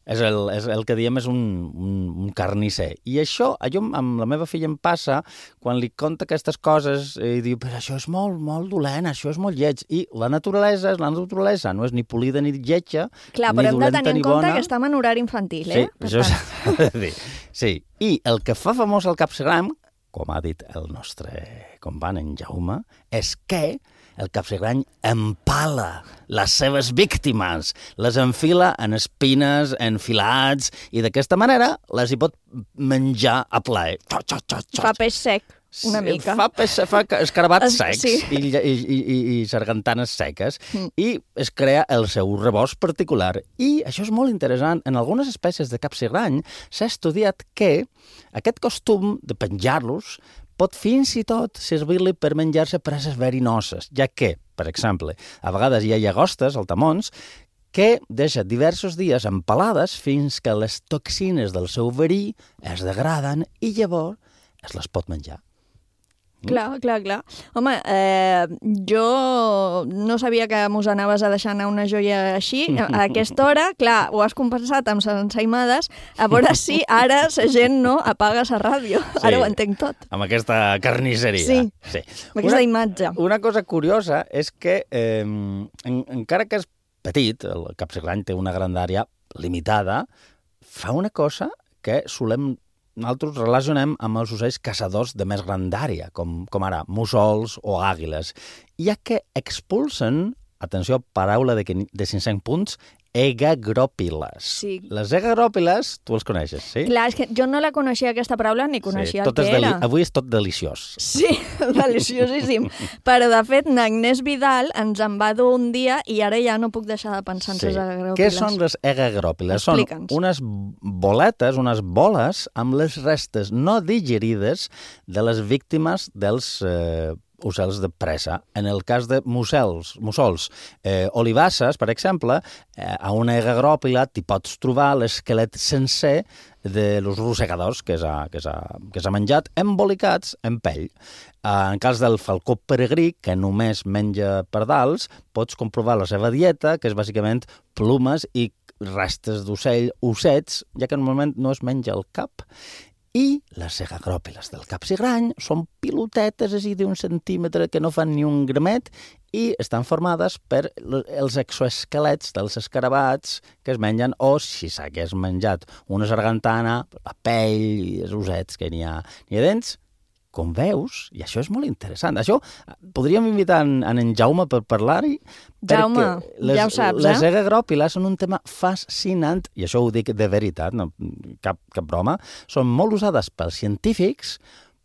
És el, és el que diem és un, un, un carnisser. I això, jo, amb la meva filla em passa, quan li conta aquestes coses, i diu, però això és molt, molt dolent, això és molt lleig. I la naturalesa és la naturalesa, no és ni polida ni lletja, Clar, ni dolenta ni bona. Clar, però hem de tenir en compte que estem en horari infantil, eh? Sí, això s'ha de dir. Sí, i el que fa famós el capsigram, com ha dit el nostre company en Jaume, és que el capsigrany empala les seves víctimes, les enfila en espines, en filats, i d'aquesta manera les hi pot menjar a plaer. Xot, xot, xot, xot. Fa peix sec, una mica. Fa, peix, fa escarabats es, secs sí. i, i, i, i sargantanes seques, mm. i es crea el seu rebost particular. I això és molt interessant. En algunes espècies de capsigrany s'ha estudiat que aquest costum de penjar-los pot fins i tot servir-li per menjar-se preses verinoses, ja que, per exemple, a vegades hi ha llagostes, saltamons, que deixa diversos dies empalades fins que les toxines del seu verí es degraden i llavors es les pot menjar. Clar, clar, clar. Home, eh, jo no sabia que mos anaves a deixar anar una joia així. A aquesta hora, clar, ho has compensat amb les ensaïmades. A veure si ara la gent no apaga la ràdio. Sí, ara ho entenc tot. Amb aquesta carnisseria. Sí, sí. amb aquesta una, imatge. Una cosa curiosa és que, eh, en, encara que és petit, el capsigrany té una grandària limitada, fa una cosa que solem nosaltres relacionem amb els ocells caçadors de més grandària, com, com ara mussols o àguiles, ja que expulsen, atenció, paraula de, de cinc-cents punts, egagropíles. Sí. Les egagropíles, tu els coneixes, sí? Clar, és que jo no la coneixia aquesta paraula ni coneixia sí, el que era. Avui és tot deliciós. Sí, deliciosíssim. Però, de fet, n'Agnès Vidal ens en va dur un dia i ara ja no puc deixar de pensar en sí. les egagropíles. Què són les egagropíles? Són unes boletes, unes boles amb les restes no digerides de les víctimes dels eh, ocells de presa. En el cas de mussols, mussols eh, olivasses, per exemple, eh, a una egagròpila t'hi pots trobar l'esquelet sencer de los rosegadors que s'ha que s'ha que s'ha menjat, embolicats en pell. En cas del falcó peregrí, que només menja pardals, pots comprovar la seva dieta, que és bàsicament plomes i restes d'ocell, ossets, ja que normalment no es menja el cap. I les egagròpiles del capsigrany són pilotetes així d'un centímetre que no fan ni un gramet i estan formades per els exoesquelets dels escarabats que es mengen, o si s'hagués menjat una sargantana, la pell i els ossets que n'hi ha, n'hi ha dents. Com veus, i això és molt interessant, això podríem invitar en, en Jaume per parlar-hi, Jaume, les, ja ho saps, les eh? egagròpiles són un tema fascinant, i això ho dic de veritat, no, cap, cap broma, són molt usades pels científics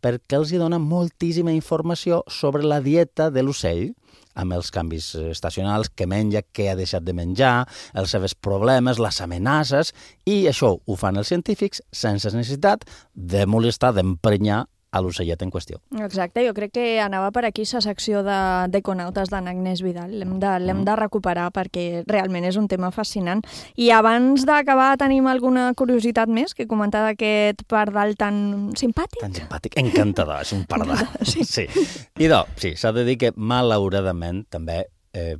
perquè els hi dona moltíssima informació sobre la dieta de l'ocell, amb els canvis estacionals, què menja, què ha deixat de menjar, els seus problemes, les amenaces, i això ho fan els científics sense necessitat de molestar, d'emprenyar a l'ocellet en qüestió. Exacte, jo crec que anava per aquí la secció d'Econautes d'en Agnès Vidal. L'hem de, l'hem de recuperar perquè realment és un tema fascinant. I abans d'acabar, tenim alguna curiositat més que comentar d'aquest pardal tan simpàtic? Tan simpàtic, encantador, és un pardal. Sí. Sí. I no, sí, s'ha de dir que malauradament també eh,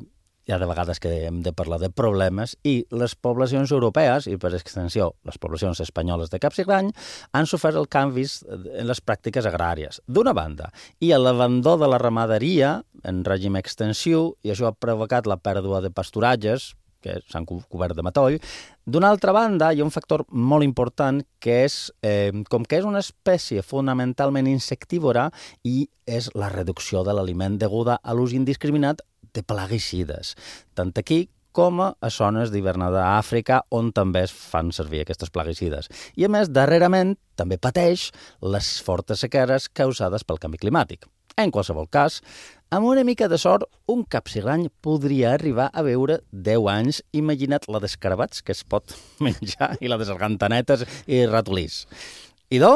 hi ha de vegades que hem de parlar de problemes i les poblacions europees, i per extensió les poblacions espanyoles de capsigrany, han sofert els canvis en les pràctiques agràries, d'una banda, i l'abandó de la ramaderia en règim extensiu, i això ha provocat la pèrdua de pasturatges, que s'han cobert de matoll. D'una altra banda, hi ha un factor molt important que és, eh, com que és una espècie fonamentalment insectívora, i és la reducció de l'aliment deguda a l'ús indiscriminat de plaguicides, tant aquí com a zones d'hivernada a Àfrica, on també es fan servir aquestes plaguicides. I a més, darrerament, també pateix les fortes sequeres causades pel canvi climàtic. En qualsevol cas, amb una mica de sort, un capsigrany podria arribar a viure deu anys. Imagina't la d'escarabats que es pot menjar i la de sargantanetes i ratolís. I do,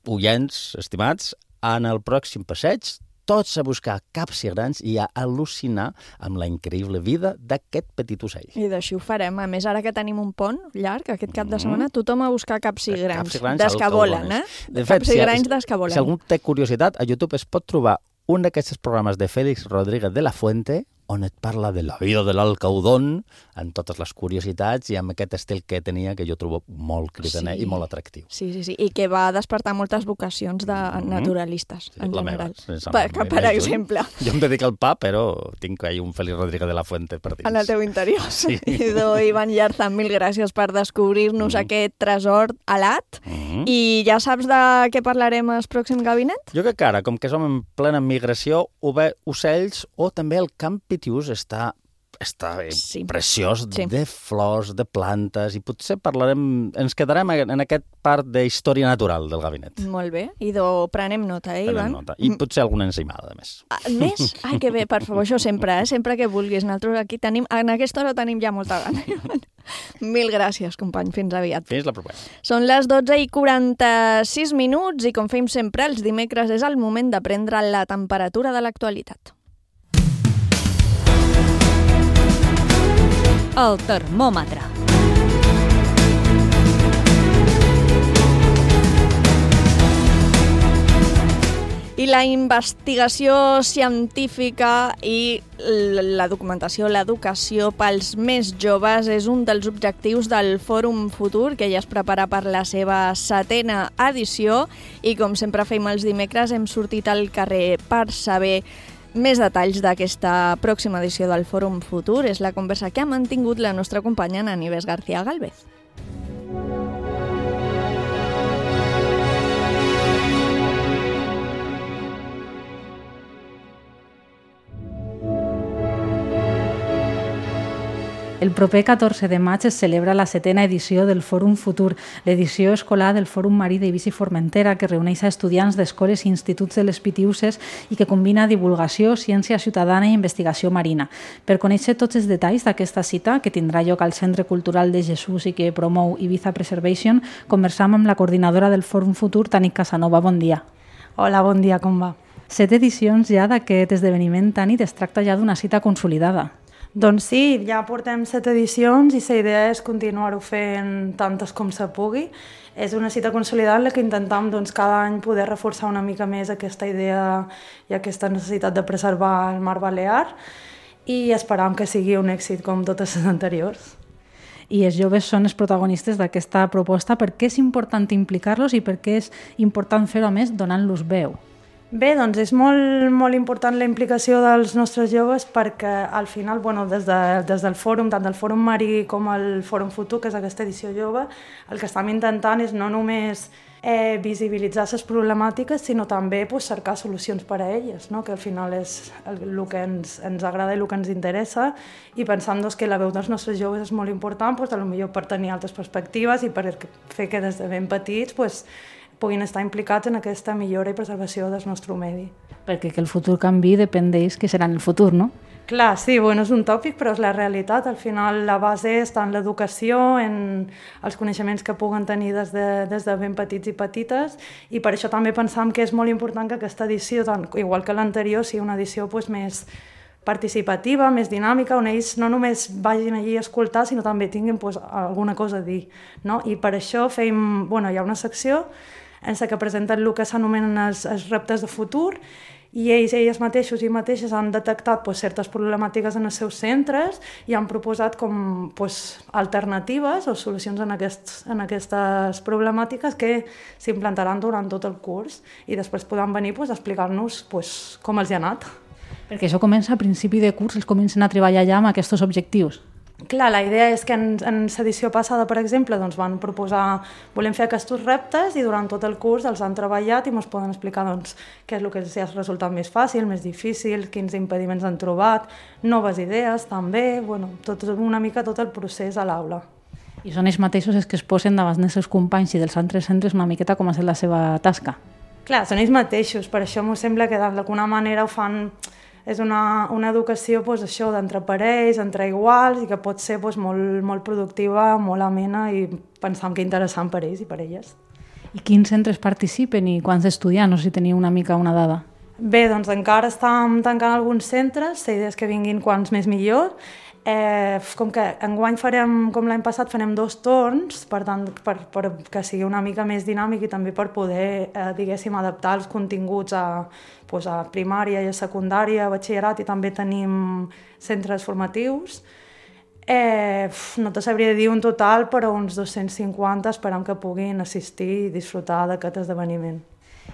oients estimats, en el pròxim passeig, tots a buscar capsigranys i a al·lucinar amb la increïble vida d'aquest petit ocell. I d'així ho farem. A més, ara que tenim un pont llarg, aquest cap de setmana, tothom a buscar capsigranys. Des que volen, eh? De fet, capsigranys des que volen. Si algú té curiositat, a YouTube es pot trobar un d'aquests programes de Félix Rodríguez de la Fuente, on et parla de la vida de l'alcaudón, amb totes les curiositats i amb aquest estil que tenia, que jo trobo molt cridaner sí. i molt atractiu. Sí, sí, sí, i que va despertar moltes vocacions de naturalistes, mm-hmm. en general. Sí, per, que, per exemple. Jo em dedico al pa, però tinc ahí un Félix Rodríguez de la Fuente per dins. En el teu interior. Sí. Idò, Ivan Llarza, mil gràcies per descobrir-nos mm-hmm. aquest tresor alat. Mm-hmm. I ja saps de què parlarem al pròxim gabinet? Jo crec que ara, com que som en plena migració, o bé ocells o també el camp pitiús està, està sí. preciós sí. de flors, de plantes, i potser parlarem, ens quedarem en aquest part de història natural del gabinet. Molt bé, i do prenem nota, eh, Ivan? Prenem nota. I potser alguna enzimada, a més. Ah, més? Ai, que bé, per favor, això sempre, eh? Sempre que vulguis. Nosaltres aquí tenim, en aquesta hora tenim ja molta gana. Mil gràcies, company. Fins aviat. Fins la propera. Són les dotze i quaranta-sis minuts i, com fem sempre els dimecres, és el moment de prendre la temperatura de l'actualitat. El termòmetre. I la investigació científica i la documentació, l'educació pels més joves és un dels objectius del Fòrum Futur, que ja es prepara per la seva setena edició, i com sempre fem els dimecres hem sortit al carrer per saber més detalls d'aquesta pròxima edició del Fòrum Futur. És la conversa que ha mantingut la nostra companya Nieves García Galvez. El proper catorze de maig es celebra la setena edició del Fòrum Futur, l'edició escolar del Fòrum Marí d'Eivissa i Formentera, que reuneix a estudiants d'escoles i instituts de les Pitiüses i que combina divulgació, ciència ciutadana i investigació marina. Per conèixer tots els detalls d'aquesta cita, que tindrà lloc al Centre Cultural de Jesús i que promou Ibiza Preservation, conversam amb la coordinadora del Fòrum Futur, Tanit Casanova. Bon dia. Hola, bon dia, com va? Set edicions ja d'aquest esdeveniment, Tanit, es tracta ja d'una cita consolidada. Doncs sí, ja portem set edicions i la idea és continuar-ho fent tantes com se pugui. És una cita consolidada en la que intentem doncs, cada any poder reforçar una mica més aquesta idea i aquesta necessitat de preservar el mar Balear i esperam que sigui un èxit com totes les anteriors. I els joves són els protagonistes d'aquesta proposta. Per què és important implicar-los i per què és important fer-ho, a més, donant-los veu? Bé, doncs és molt, molt important la implicació dels nostres joves perquè al final, bueno, des, de, des del fòrum, tant del Fòrum Marí com el Fòrum Futur, que és aquesta edició jove, el que estem intentant és no només eh, visibilitzar les problemàtiques, sinó també pues, cercar solucions per a elles, no? Que al final és el, el que ens, ens agrada i el que ens interessa, i pensant doncs, que la veu dels nostres joves és molt important, pues, potser per tenir altres perspectives i per fer que des de ben petits pues, puguin estar implicats en aquesta millora i preservació del nostre medi. Perquè que el futur canvi depèn d'ells que seran el futur, no? Clar, sí, bueno, és un tòpic, però és la realitat. Al final la base està en l'educació, en els coneixements que puguen tenir des de, des de ben petits i petites, i per això també pensam que és molt important que aquesta edició, tant, igual que l'anterior, sigui una edició pues, més participativa, més dinàmica, on ells no només vagin allí a escoltar, sinó també tinguin pues, alguna cosa a dir. No? I per això feim, bueno, hi ha una secció en la que presenten el que s'anomenen els, els reptes de futur, i ells, elles mateixos i mateixes han detectat pues, certes problemàtiques en els seus centres i han proposat com, pues, alternatives o solucions en, aquests, en aquestes problemàtiques que s'implantaran durant tot el curs i després podran venir pues, a explicar-nos pues, com els hi ha anat. Perquè això comença a principi de curs, els comencen a treballar ja amb aquests objectius. Clar, la idea és que en, en l'edició passada, per exemple, doncs van proposar, volem fer aquests reptes i durant tot el curs els han treballat i ens poden explicar doncs, què és el que els ha resultat més fàcil, més difícil, quins impediments han trobat, noves idees també, bueno, tot, una mica tot el procés a l'aula. I són ells mateixos els que es posen davant dels seus companys i dels altres centres una miqueta com ha estat la seva tasca. Clar, són ells mateixos, per això m'ho sembla que d'alguna manera ho fan... És una, una educació pues, això d'entre parells, entre iguals, i que pot ser pues, molt, molt productiva, molt amena i pensam que interessant per ells i per elles. I quins centres participen i quants estudiants? No sé si teniu una mica una dada. Bé, doncs encara estem tancant alguns centres, la idea és que vinguin quants més millor. Eh, com que enguany farem, com l'any passat, farem dos torns, per tant, per, per que sigui una mica més dinàmic i també per poder, eh, diguéssim, adaptar els continguts a, pues, a primària i a secundària, a batxillerat, i també tenim centres formatius. Eh, no te sabria dir un total, però uns dos-cents cinquanta esperam que puguin assistir i disfrutar d'aquest esdeveniment.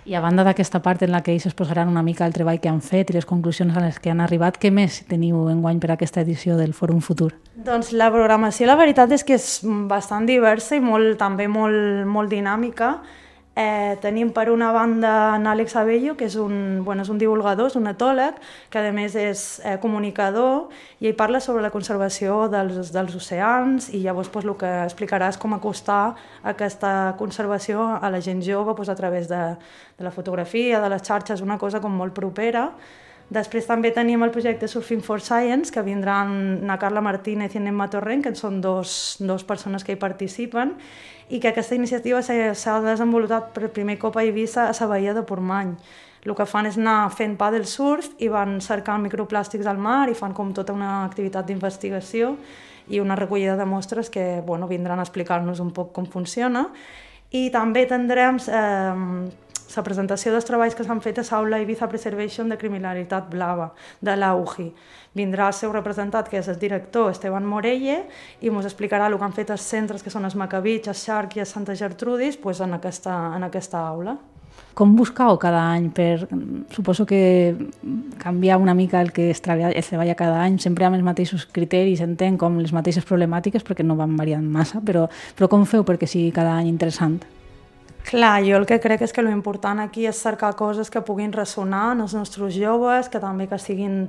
I a banda d'aquesta part en la que ells es posaran una mica el treball que han fet i les conclusions a les que han arribat, què més teniu enguany per a aquesta edició del Fòrum Futur? Doncs la programació, la veritat és que és bastant diversa i molt, també molt, molt dinàmica. Eh, tenim per una banda en Àlex Abello, que és un, bueno, és un divulgador, és un etòleg, que a més és eh, comunicador, i ell parla sobre la conservació dels, dels oceans, i llavors pues, el que explicarà és com acostar aquesta conservació a la gent jove pues, a través de, de la fotografia, de les xarxes, una cosa com molt propera. Després també tenim el projecte Surfing for Science, que vindran na Carla Martínez i Nemma Torrent, que són dos, dos persones que hi participen, i que aquesta iniciativa s'ha desenvolupat per primer cop a Eivissa, a la Baia de Portmany. El que fan és anar fent paddle surf i van cercant microplàstics al mar i fan com tota una activitat d'investigació i una recollida de mostres que bueno, vindran a explicar-nos un poc com funciona. I també tindrem eh, la presentació dels treballs que s'han fet a l'Aula Ibiza Preservation de Criminalitat Blava, de l'A U G I. Vindrà el seu representant, que és el director Esteban Morelle, i ens explicarà el que han fet els centres, que són els Macabits, els Shark i els Santa Gertrudis, pues en, aquesta, en aquesta aula. Com buscau cada any? Per, suposo que canviar una mica el que es treballa, es treballa cada any, sempre amb els mateixos criteris, entenc, com les mateixes problemàtiques, perquè no van variant massa, però, però com feu perquè sigui cada any interessant? Clar, jo el que crec és que l'important aquí és cercar coses que puguin ressonar en els nostres joves, que també que siguin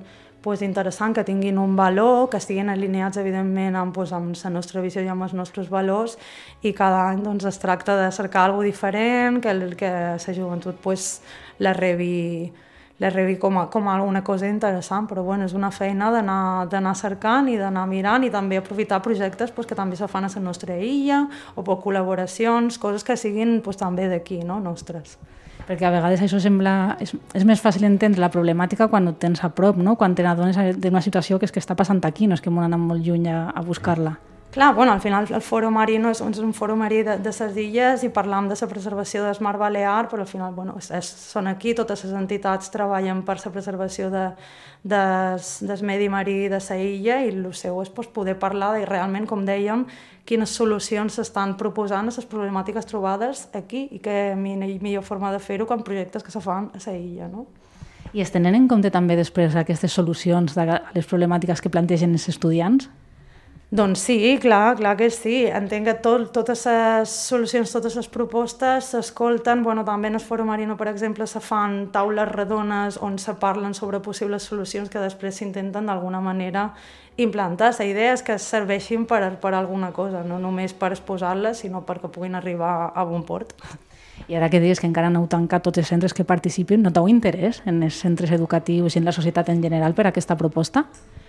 pues, interessants, que tinguin un valor, que estiguin alineats, evidentment, amb, pues, amb la nostra visió i amb els nostres valors, i cada any doncs, es tracta de cercar alguna cosa diferent, que, el, que la joventut pues, la rebi, la rebi com, a, com a alguna cosa interessant, però bueno, és una feina d'anar cercant i d'anar mirant i també aprofitar projectes pues, que també se fan a la nostra illa o per col·laboracions, coses que siguin pues, també d'aquí, no? Nostres. Perquè a vegades això sembla... És, és més fàcil entendre la problemàtica quan ho tens a prop, no? Quan te n'adones d'una situació que és que està passant aquí, no és que m'ho han anat molt lluny a, a buscar-la. Clar, bueno, al final el Fòrum Marí no és, és un fòrum marí de, de ses illes i parlam de la preservació del mar Balear, però al final bueno, és, és, són aquí, totes les entitats treballen per la preservació de, de, del medi marí de la illa i el seu és pues, poder parlar de realment, com dèiem, quines solucions s'estan proposant a les problemàtiques trobades aquí i que millor forma de fer-ho que en projectes que se fan a la illa, no? I es tenen en compte també després aquestes solucions de les problemàtiques que plantegen els estudiants? Doncs sí, clar, clar que sí. Entenc que tot, totes les solucions, totes les propostes s'escolten. Bueno, també en el Fòrum Marino, per exemple, se fan taules redones on se parlen sobre possibles solucions que després s'intenten d'alguna manera implantar. La idea és que serveixin per, per alguna cosa, no només per exposar-les, sinó perquè puguin arribar a bon port. I ara que dius que encara no heu tancat tots els centres que participen, noteu interès en els centres educatius i en la societat en general per a aquesta proposta?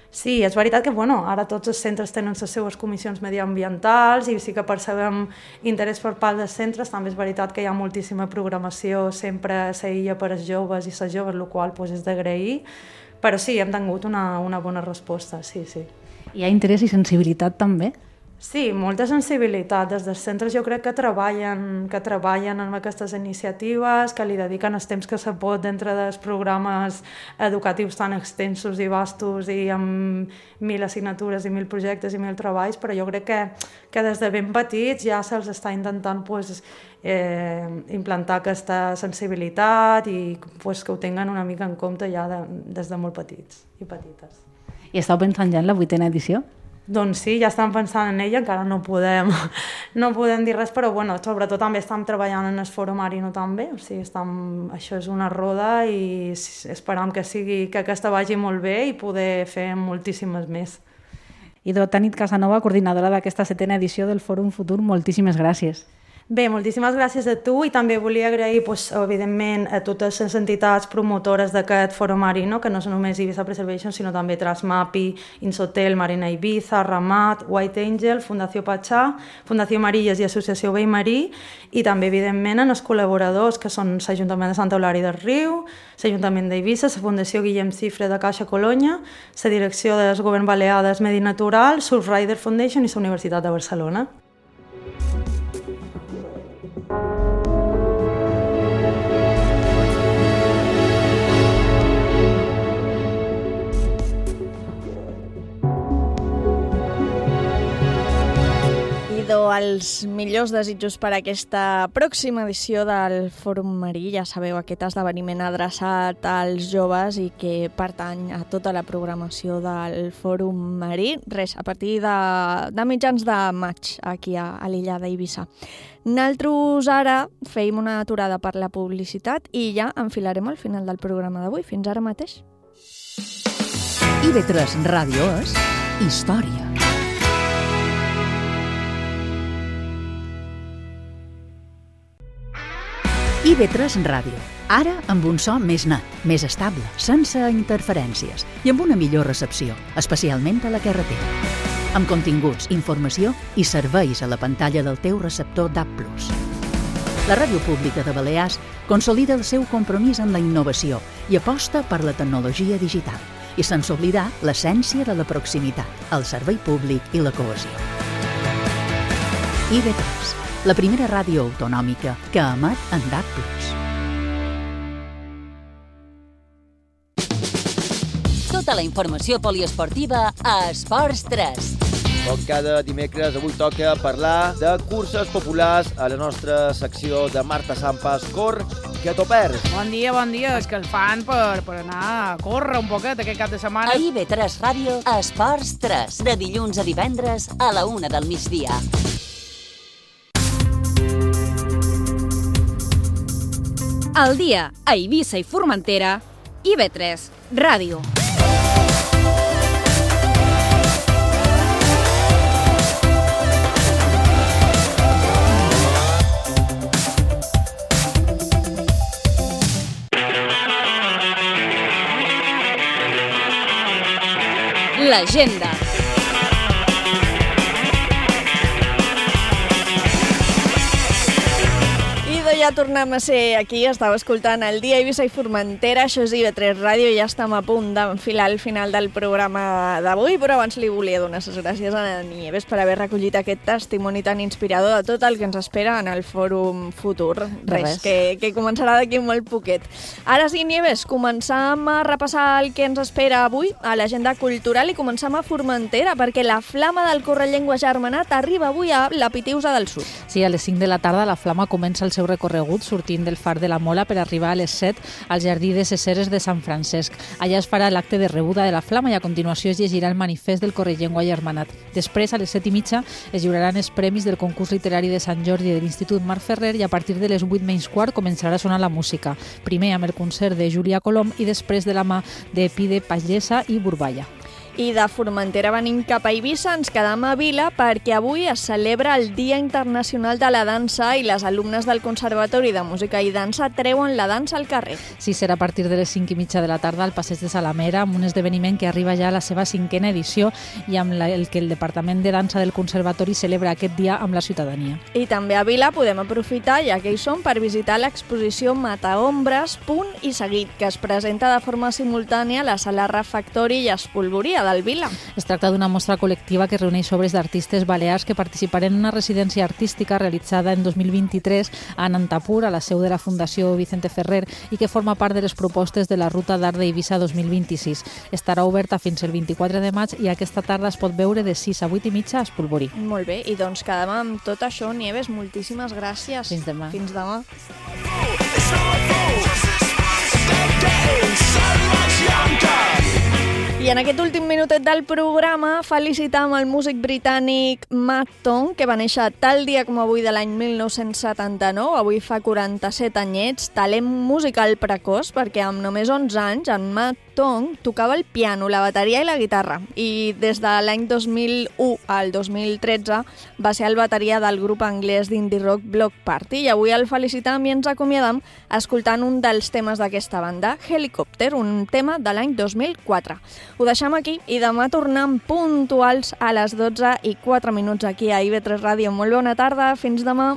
Sí, és veritat que bueno, ara tots els centres tenen les seves comissions mediambientals i sí que percebem interès per part dels centres. També és veritat que hi ha moltíssima programació sempre a la illa per als joves i les joves, el qual pues, és d'agrair, però sí, hem tingut una, una bona resposta, sí, sí. Hi ha interès i sensibilitat també? Sí, molta sensibilitat. Des dels centres jo crec que treballen, que treballen en aquestes iniciatives, que li dediquen el temps que se pot dintre dels programes educatius tan extensos i vastos i amb mil assignatures i mil projectes i mil treballs, però jo crec que, que des de ben petits ja se'ls està intentant pues, eh, implantar aquesta sensibilitat i pues, que ho tinguin una mica en compte ja de, des de molt petits i petites. I estàu pensant ja en la vuitena edició? Doncs sí, ja estem pensant en ella, encara no podem, no podem dir res, però bueno, sobretot també estem treballant en el Fòrum Marino també, o sigui, estem, això és una roda i esperam que, sigui, que aquesta vagi molt bé i poder fer moltíssimes més. Idò Tanit Casanova, coordinadora d'aquesta setena edició del Fòrum Futur, moltíssimes gràcies. Bé, moltíssimes gràcies a tu i també volia agrair, pues, evidentment, a totes les entitats promotores d'aquest Fòrum Marino, que no són només Ibiza Preservation, sinó també Transmapi, Insotel, Marina Ibiza, Ramat, White Angel, Fundació Pachà, Fundació Marilles i Associació Vell Marí, i també, evidentment, en els col·laboradors, que són l'Ajuntament de Santa Eulària del Riu, l'Ajuntament d'Eivissa, la Fundació Guillem Cifre de Caixa Colonya, la Direcció del Govern Balear del Medi Natural, Surfrider Foundation i la Universitat de Barcelona. Els millors desitjos per a aquesta pròxima edició del Fòrum Marí. Ja sabeu, aquest esdeveniment adreçat als joves i que pertany a tota la programació del Fòrum Marí. Res, a partir de, de mitjans de maig aquí a, a l'illa d'Eivissa. Nosaltres ara feim una aturada per la publicitat i ja enfilarem al final del programa d'avui. Fins ara mateix. I ve tres Ràdio és història. I ve tres Ràdio, ara amb un so més net, més estable, sense interferències i amb una millor recepció, especialment a la carretera. Amb continguts, informació i serveis a la pantalla del teu receptor D A B plus. La Ràdio Pública de Balears consolida el seu compromís en la innovació i aposta per la tecnologia digital i sense oblidar l'essència de la proximitat, el servei públic i la cohesió. I ve tres, la primera ràdio autonòmica que emet en D A B plus. Tota la informació poliesportiva a Esports tres. Com cada dimecres, avui toca parlar de curses populars a la nostra secció de Marta Sampas Cor, que t'ho perds. Bon dia, bon dia. És que el fan per, per anar a córrer un poquet aquest cap de setmana. A I ve tres Ràdio, Esports tres, de dilluns a divendres a la una del migdia. Al dia, a Eivissa i Formentera, I ve tres Ràdio. L'agenda. I de ja tornem a ser aquí, estava escoltant el Dia Eivissa i Formentera, això és I V tres Ràdio, ja estem a punt d'enfilar el final del programa d'avui, però abans li volia donar les gràcies a la Nieves per haver recollit aquest testimoni tan inspirador de tot el que ens espera en el fòrum futur. Res, Res. que, que començarà d'aquí molt poquet. Ara sí, Nieves, començam a repassar el que ens espera avui a l'agenda cultural i començam a Formentera, perquè la flama del Correllengua Germanat arriba avui a la Pitiusa del Sud. Sí, a les cinc de la tarda la flama comença el seu recorregut sortint del far de la Mola per arribar a les set al Jardí de ses Eres de Sant Francesc. Allà es farà l'acte de rebuda de la flama i a continuació es llegirà el manifest del Correllengua Germanat. Després, a les set i mitja, es lliuraran els premis del concurs literari de Sant Jordi de l'Institut Marc Ferrer i a partir de les vuit menys quart començarà a sonar la música. Primer amb el concert de Júlia Colom i després de la mà de Pide Pagesa i Burballa. I de Formentera venim cap a Eivissa, ens quedam a Vila perquè avui es celebra el Dia Internacional de la Dansa i les alumnes del Conservatori de Música i Dansa treuen la dansa al carrer. Sí, serà a partir de les cinc i mitja de la tarda al Passeig de Salamera, amb un esdeveniment que arriba ja a la seva cinquena edició i amb la, el que el Departament de Dansa del Conservatori celebra aquest dia amb la ciutadania. I també a Vila podem aprofitar, ja que hi som, per visitar l'exposició Mataombres, Punt i Seguit, que es presenta de forma simultània a la Sala Refectori i Espolvoria del Vila. Es tracta d'una mostra col·lectiva que reuneix obres d'artistes balears que participarem en una residència artística realitzada en dos mil vint-i-tres a Nantapur, a la seu de la Fundació Vicente Ferrer, i que forma part de les propostes de la Ruta d'Art d'Eivissa dos mil vint-i-sis. Estarà oberta fins el vint-i-quatre de maig i aquesta tarda es pot veure de sis a vuit i mitja a Espolvorí. Molt bé, i doncs quedem amb tot això, Nieves, moltíssimes gràcies. Fins demà. Fins demà. I en aquest últim minutet del programa felicitam el músic britànic Matt Tong, que va néixer tal dia com avui de l'any mil nou-cents setanta-nou, avui fa quaranta-set anyets, talent musical precoç, perquè amb només onze anys en Matt Tong tocava el piano, la bateria i la guitarra, i des de l'any dos mil u al dos mil tretze va ser el bateria del grup anglès d'indie rock Block Party, i avui el felicitam i ens acomiadam escoltant un dels temes d'aquesta banda, Helicopter, un tema de l'any dos mil quatre. Ho deixem aquí i demà tornem puntuals a les dotze i quatre minuts aquí a I V tres Ràdio. Molt bona tarda, fins demà.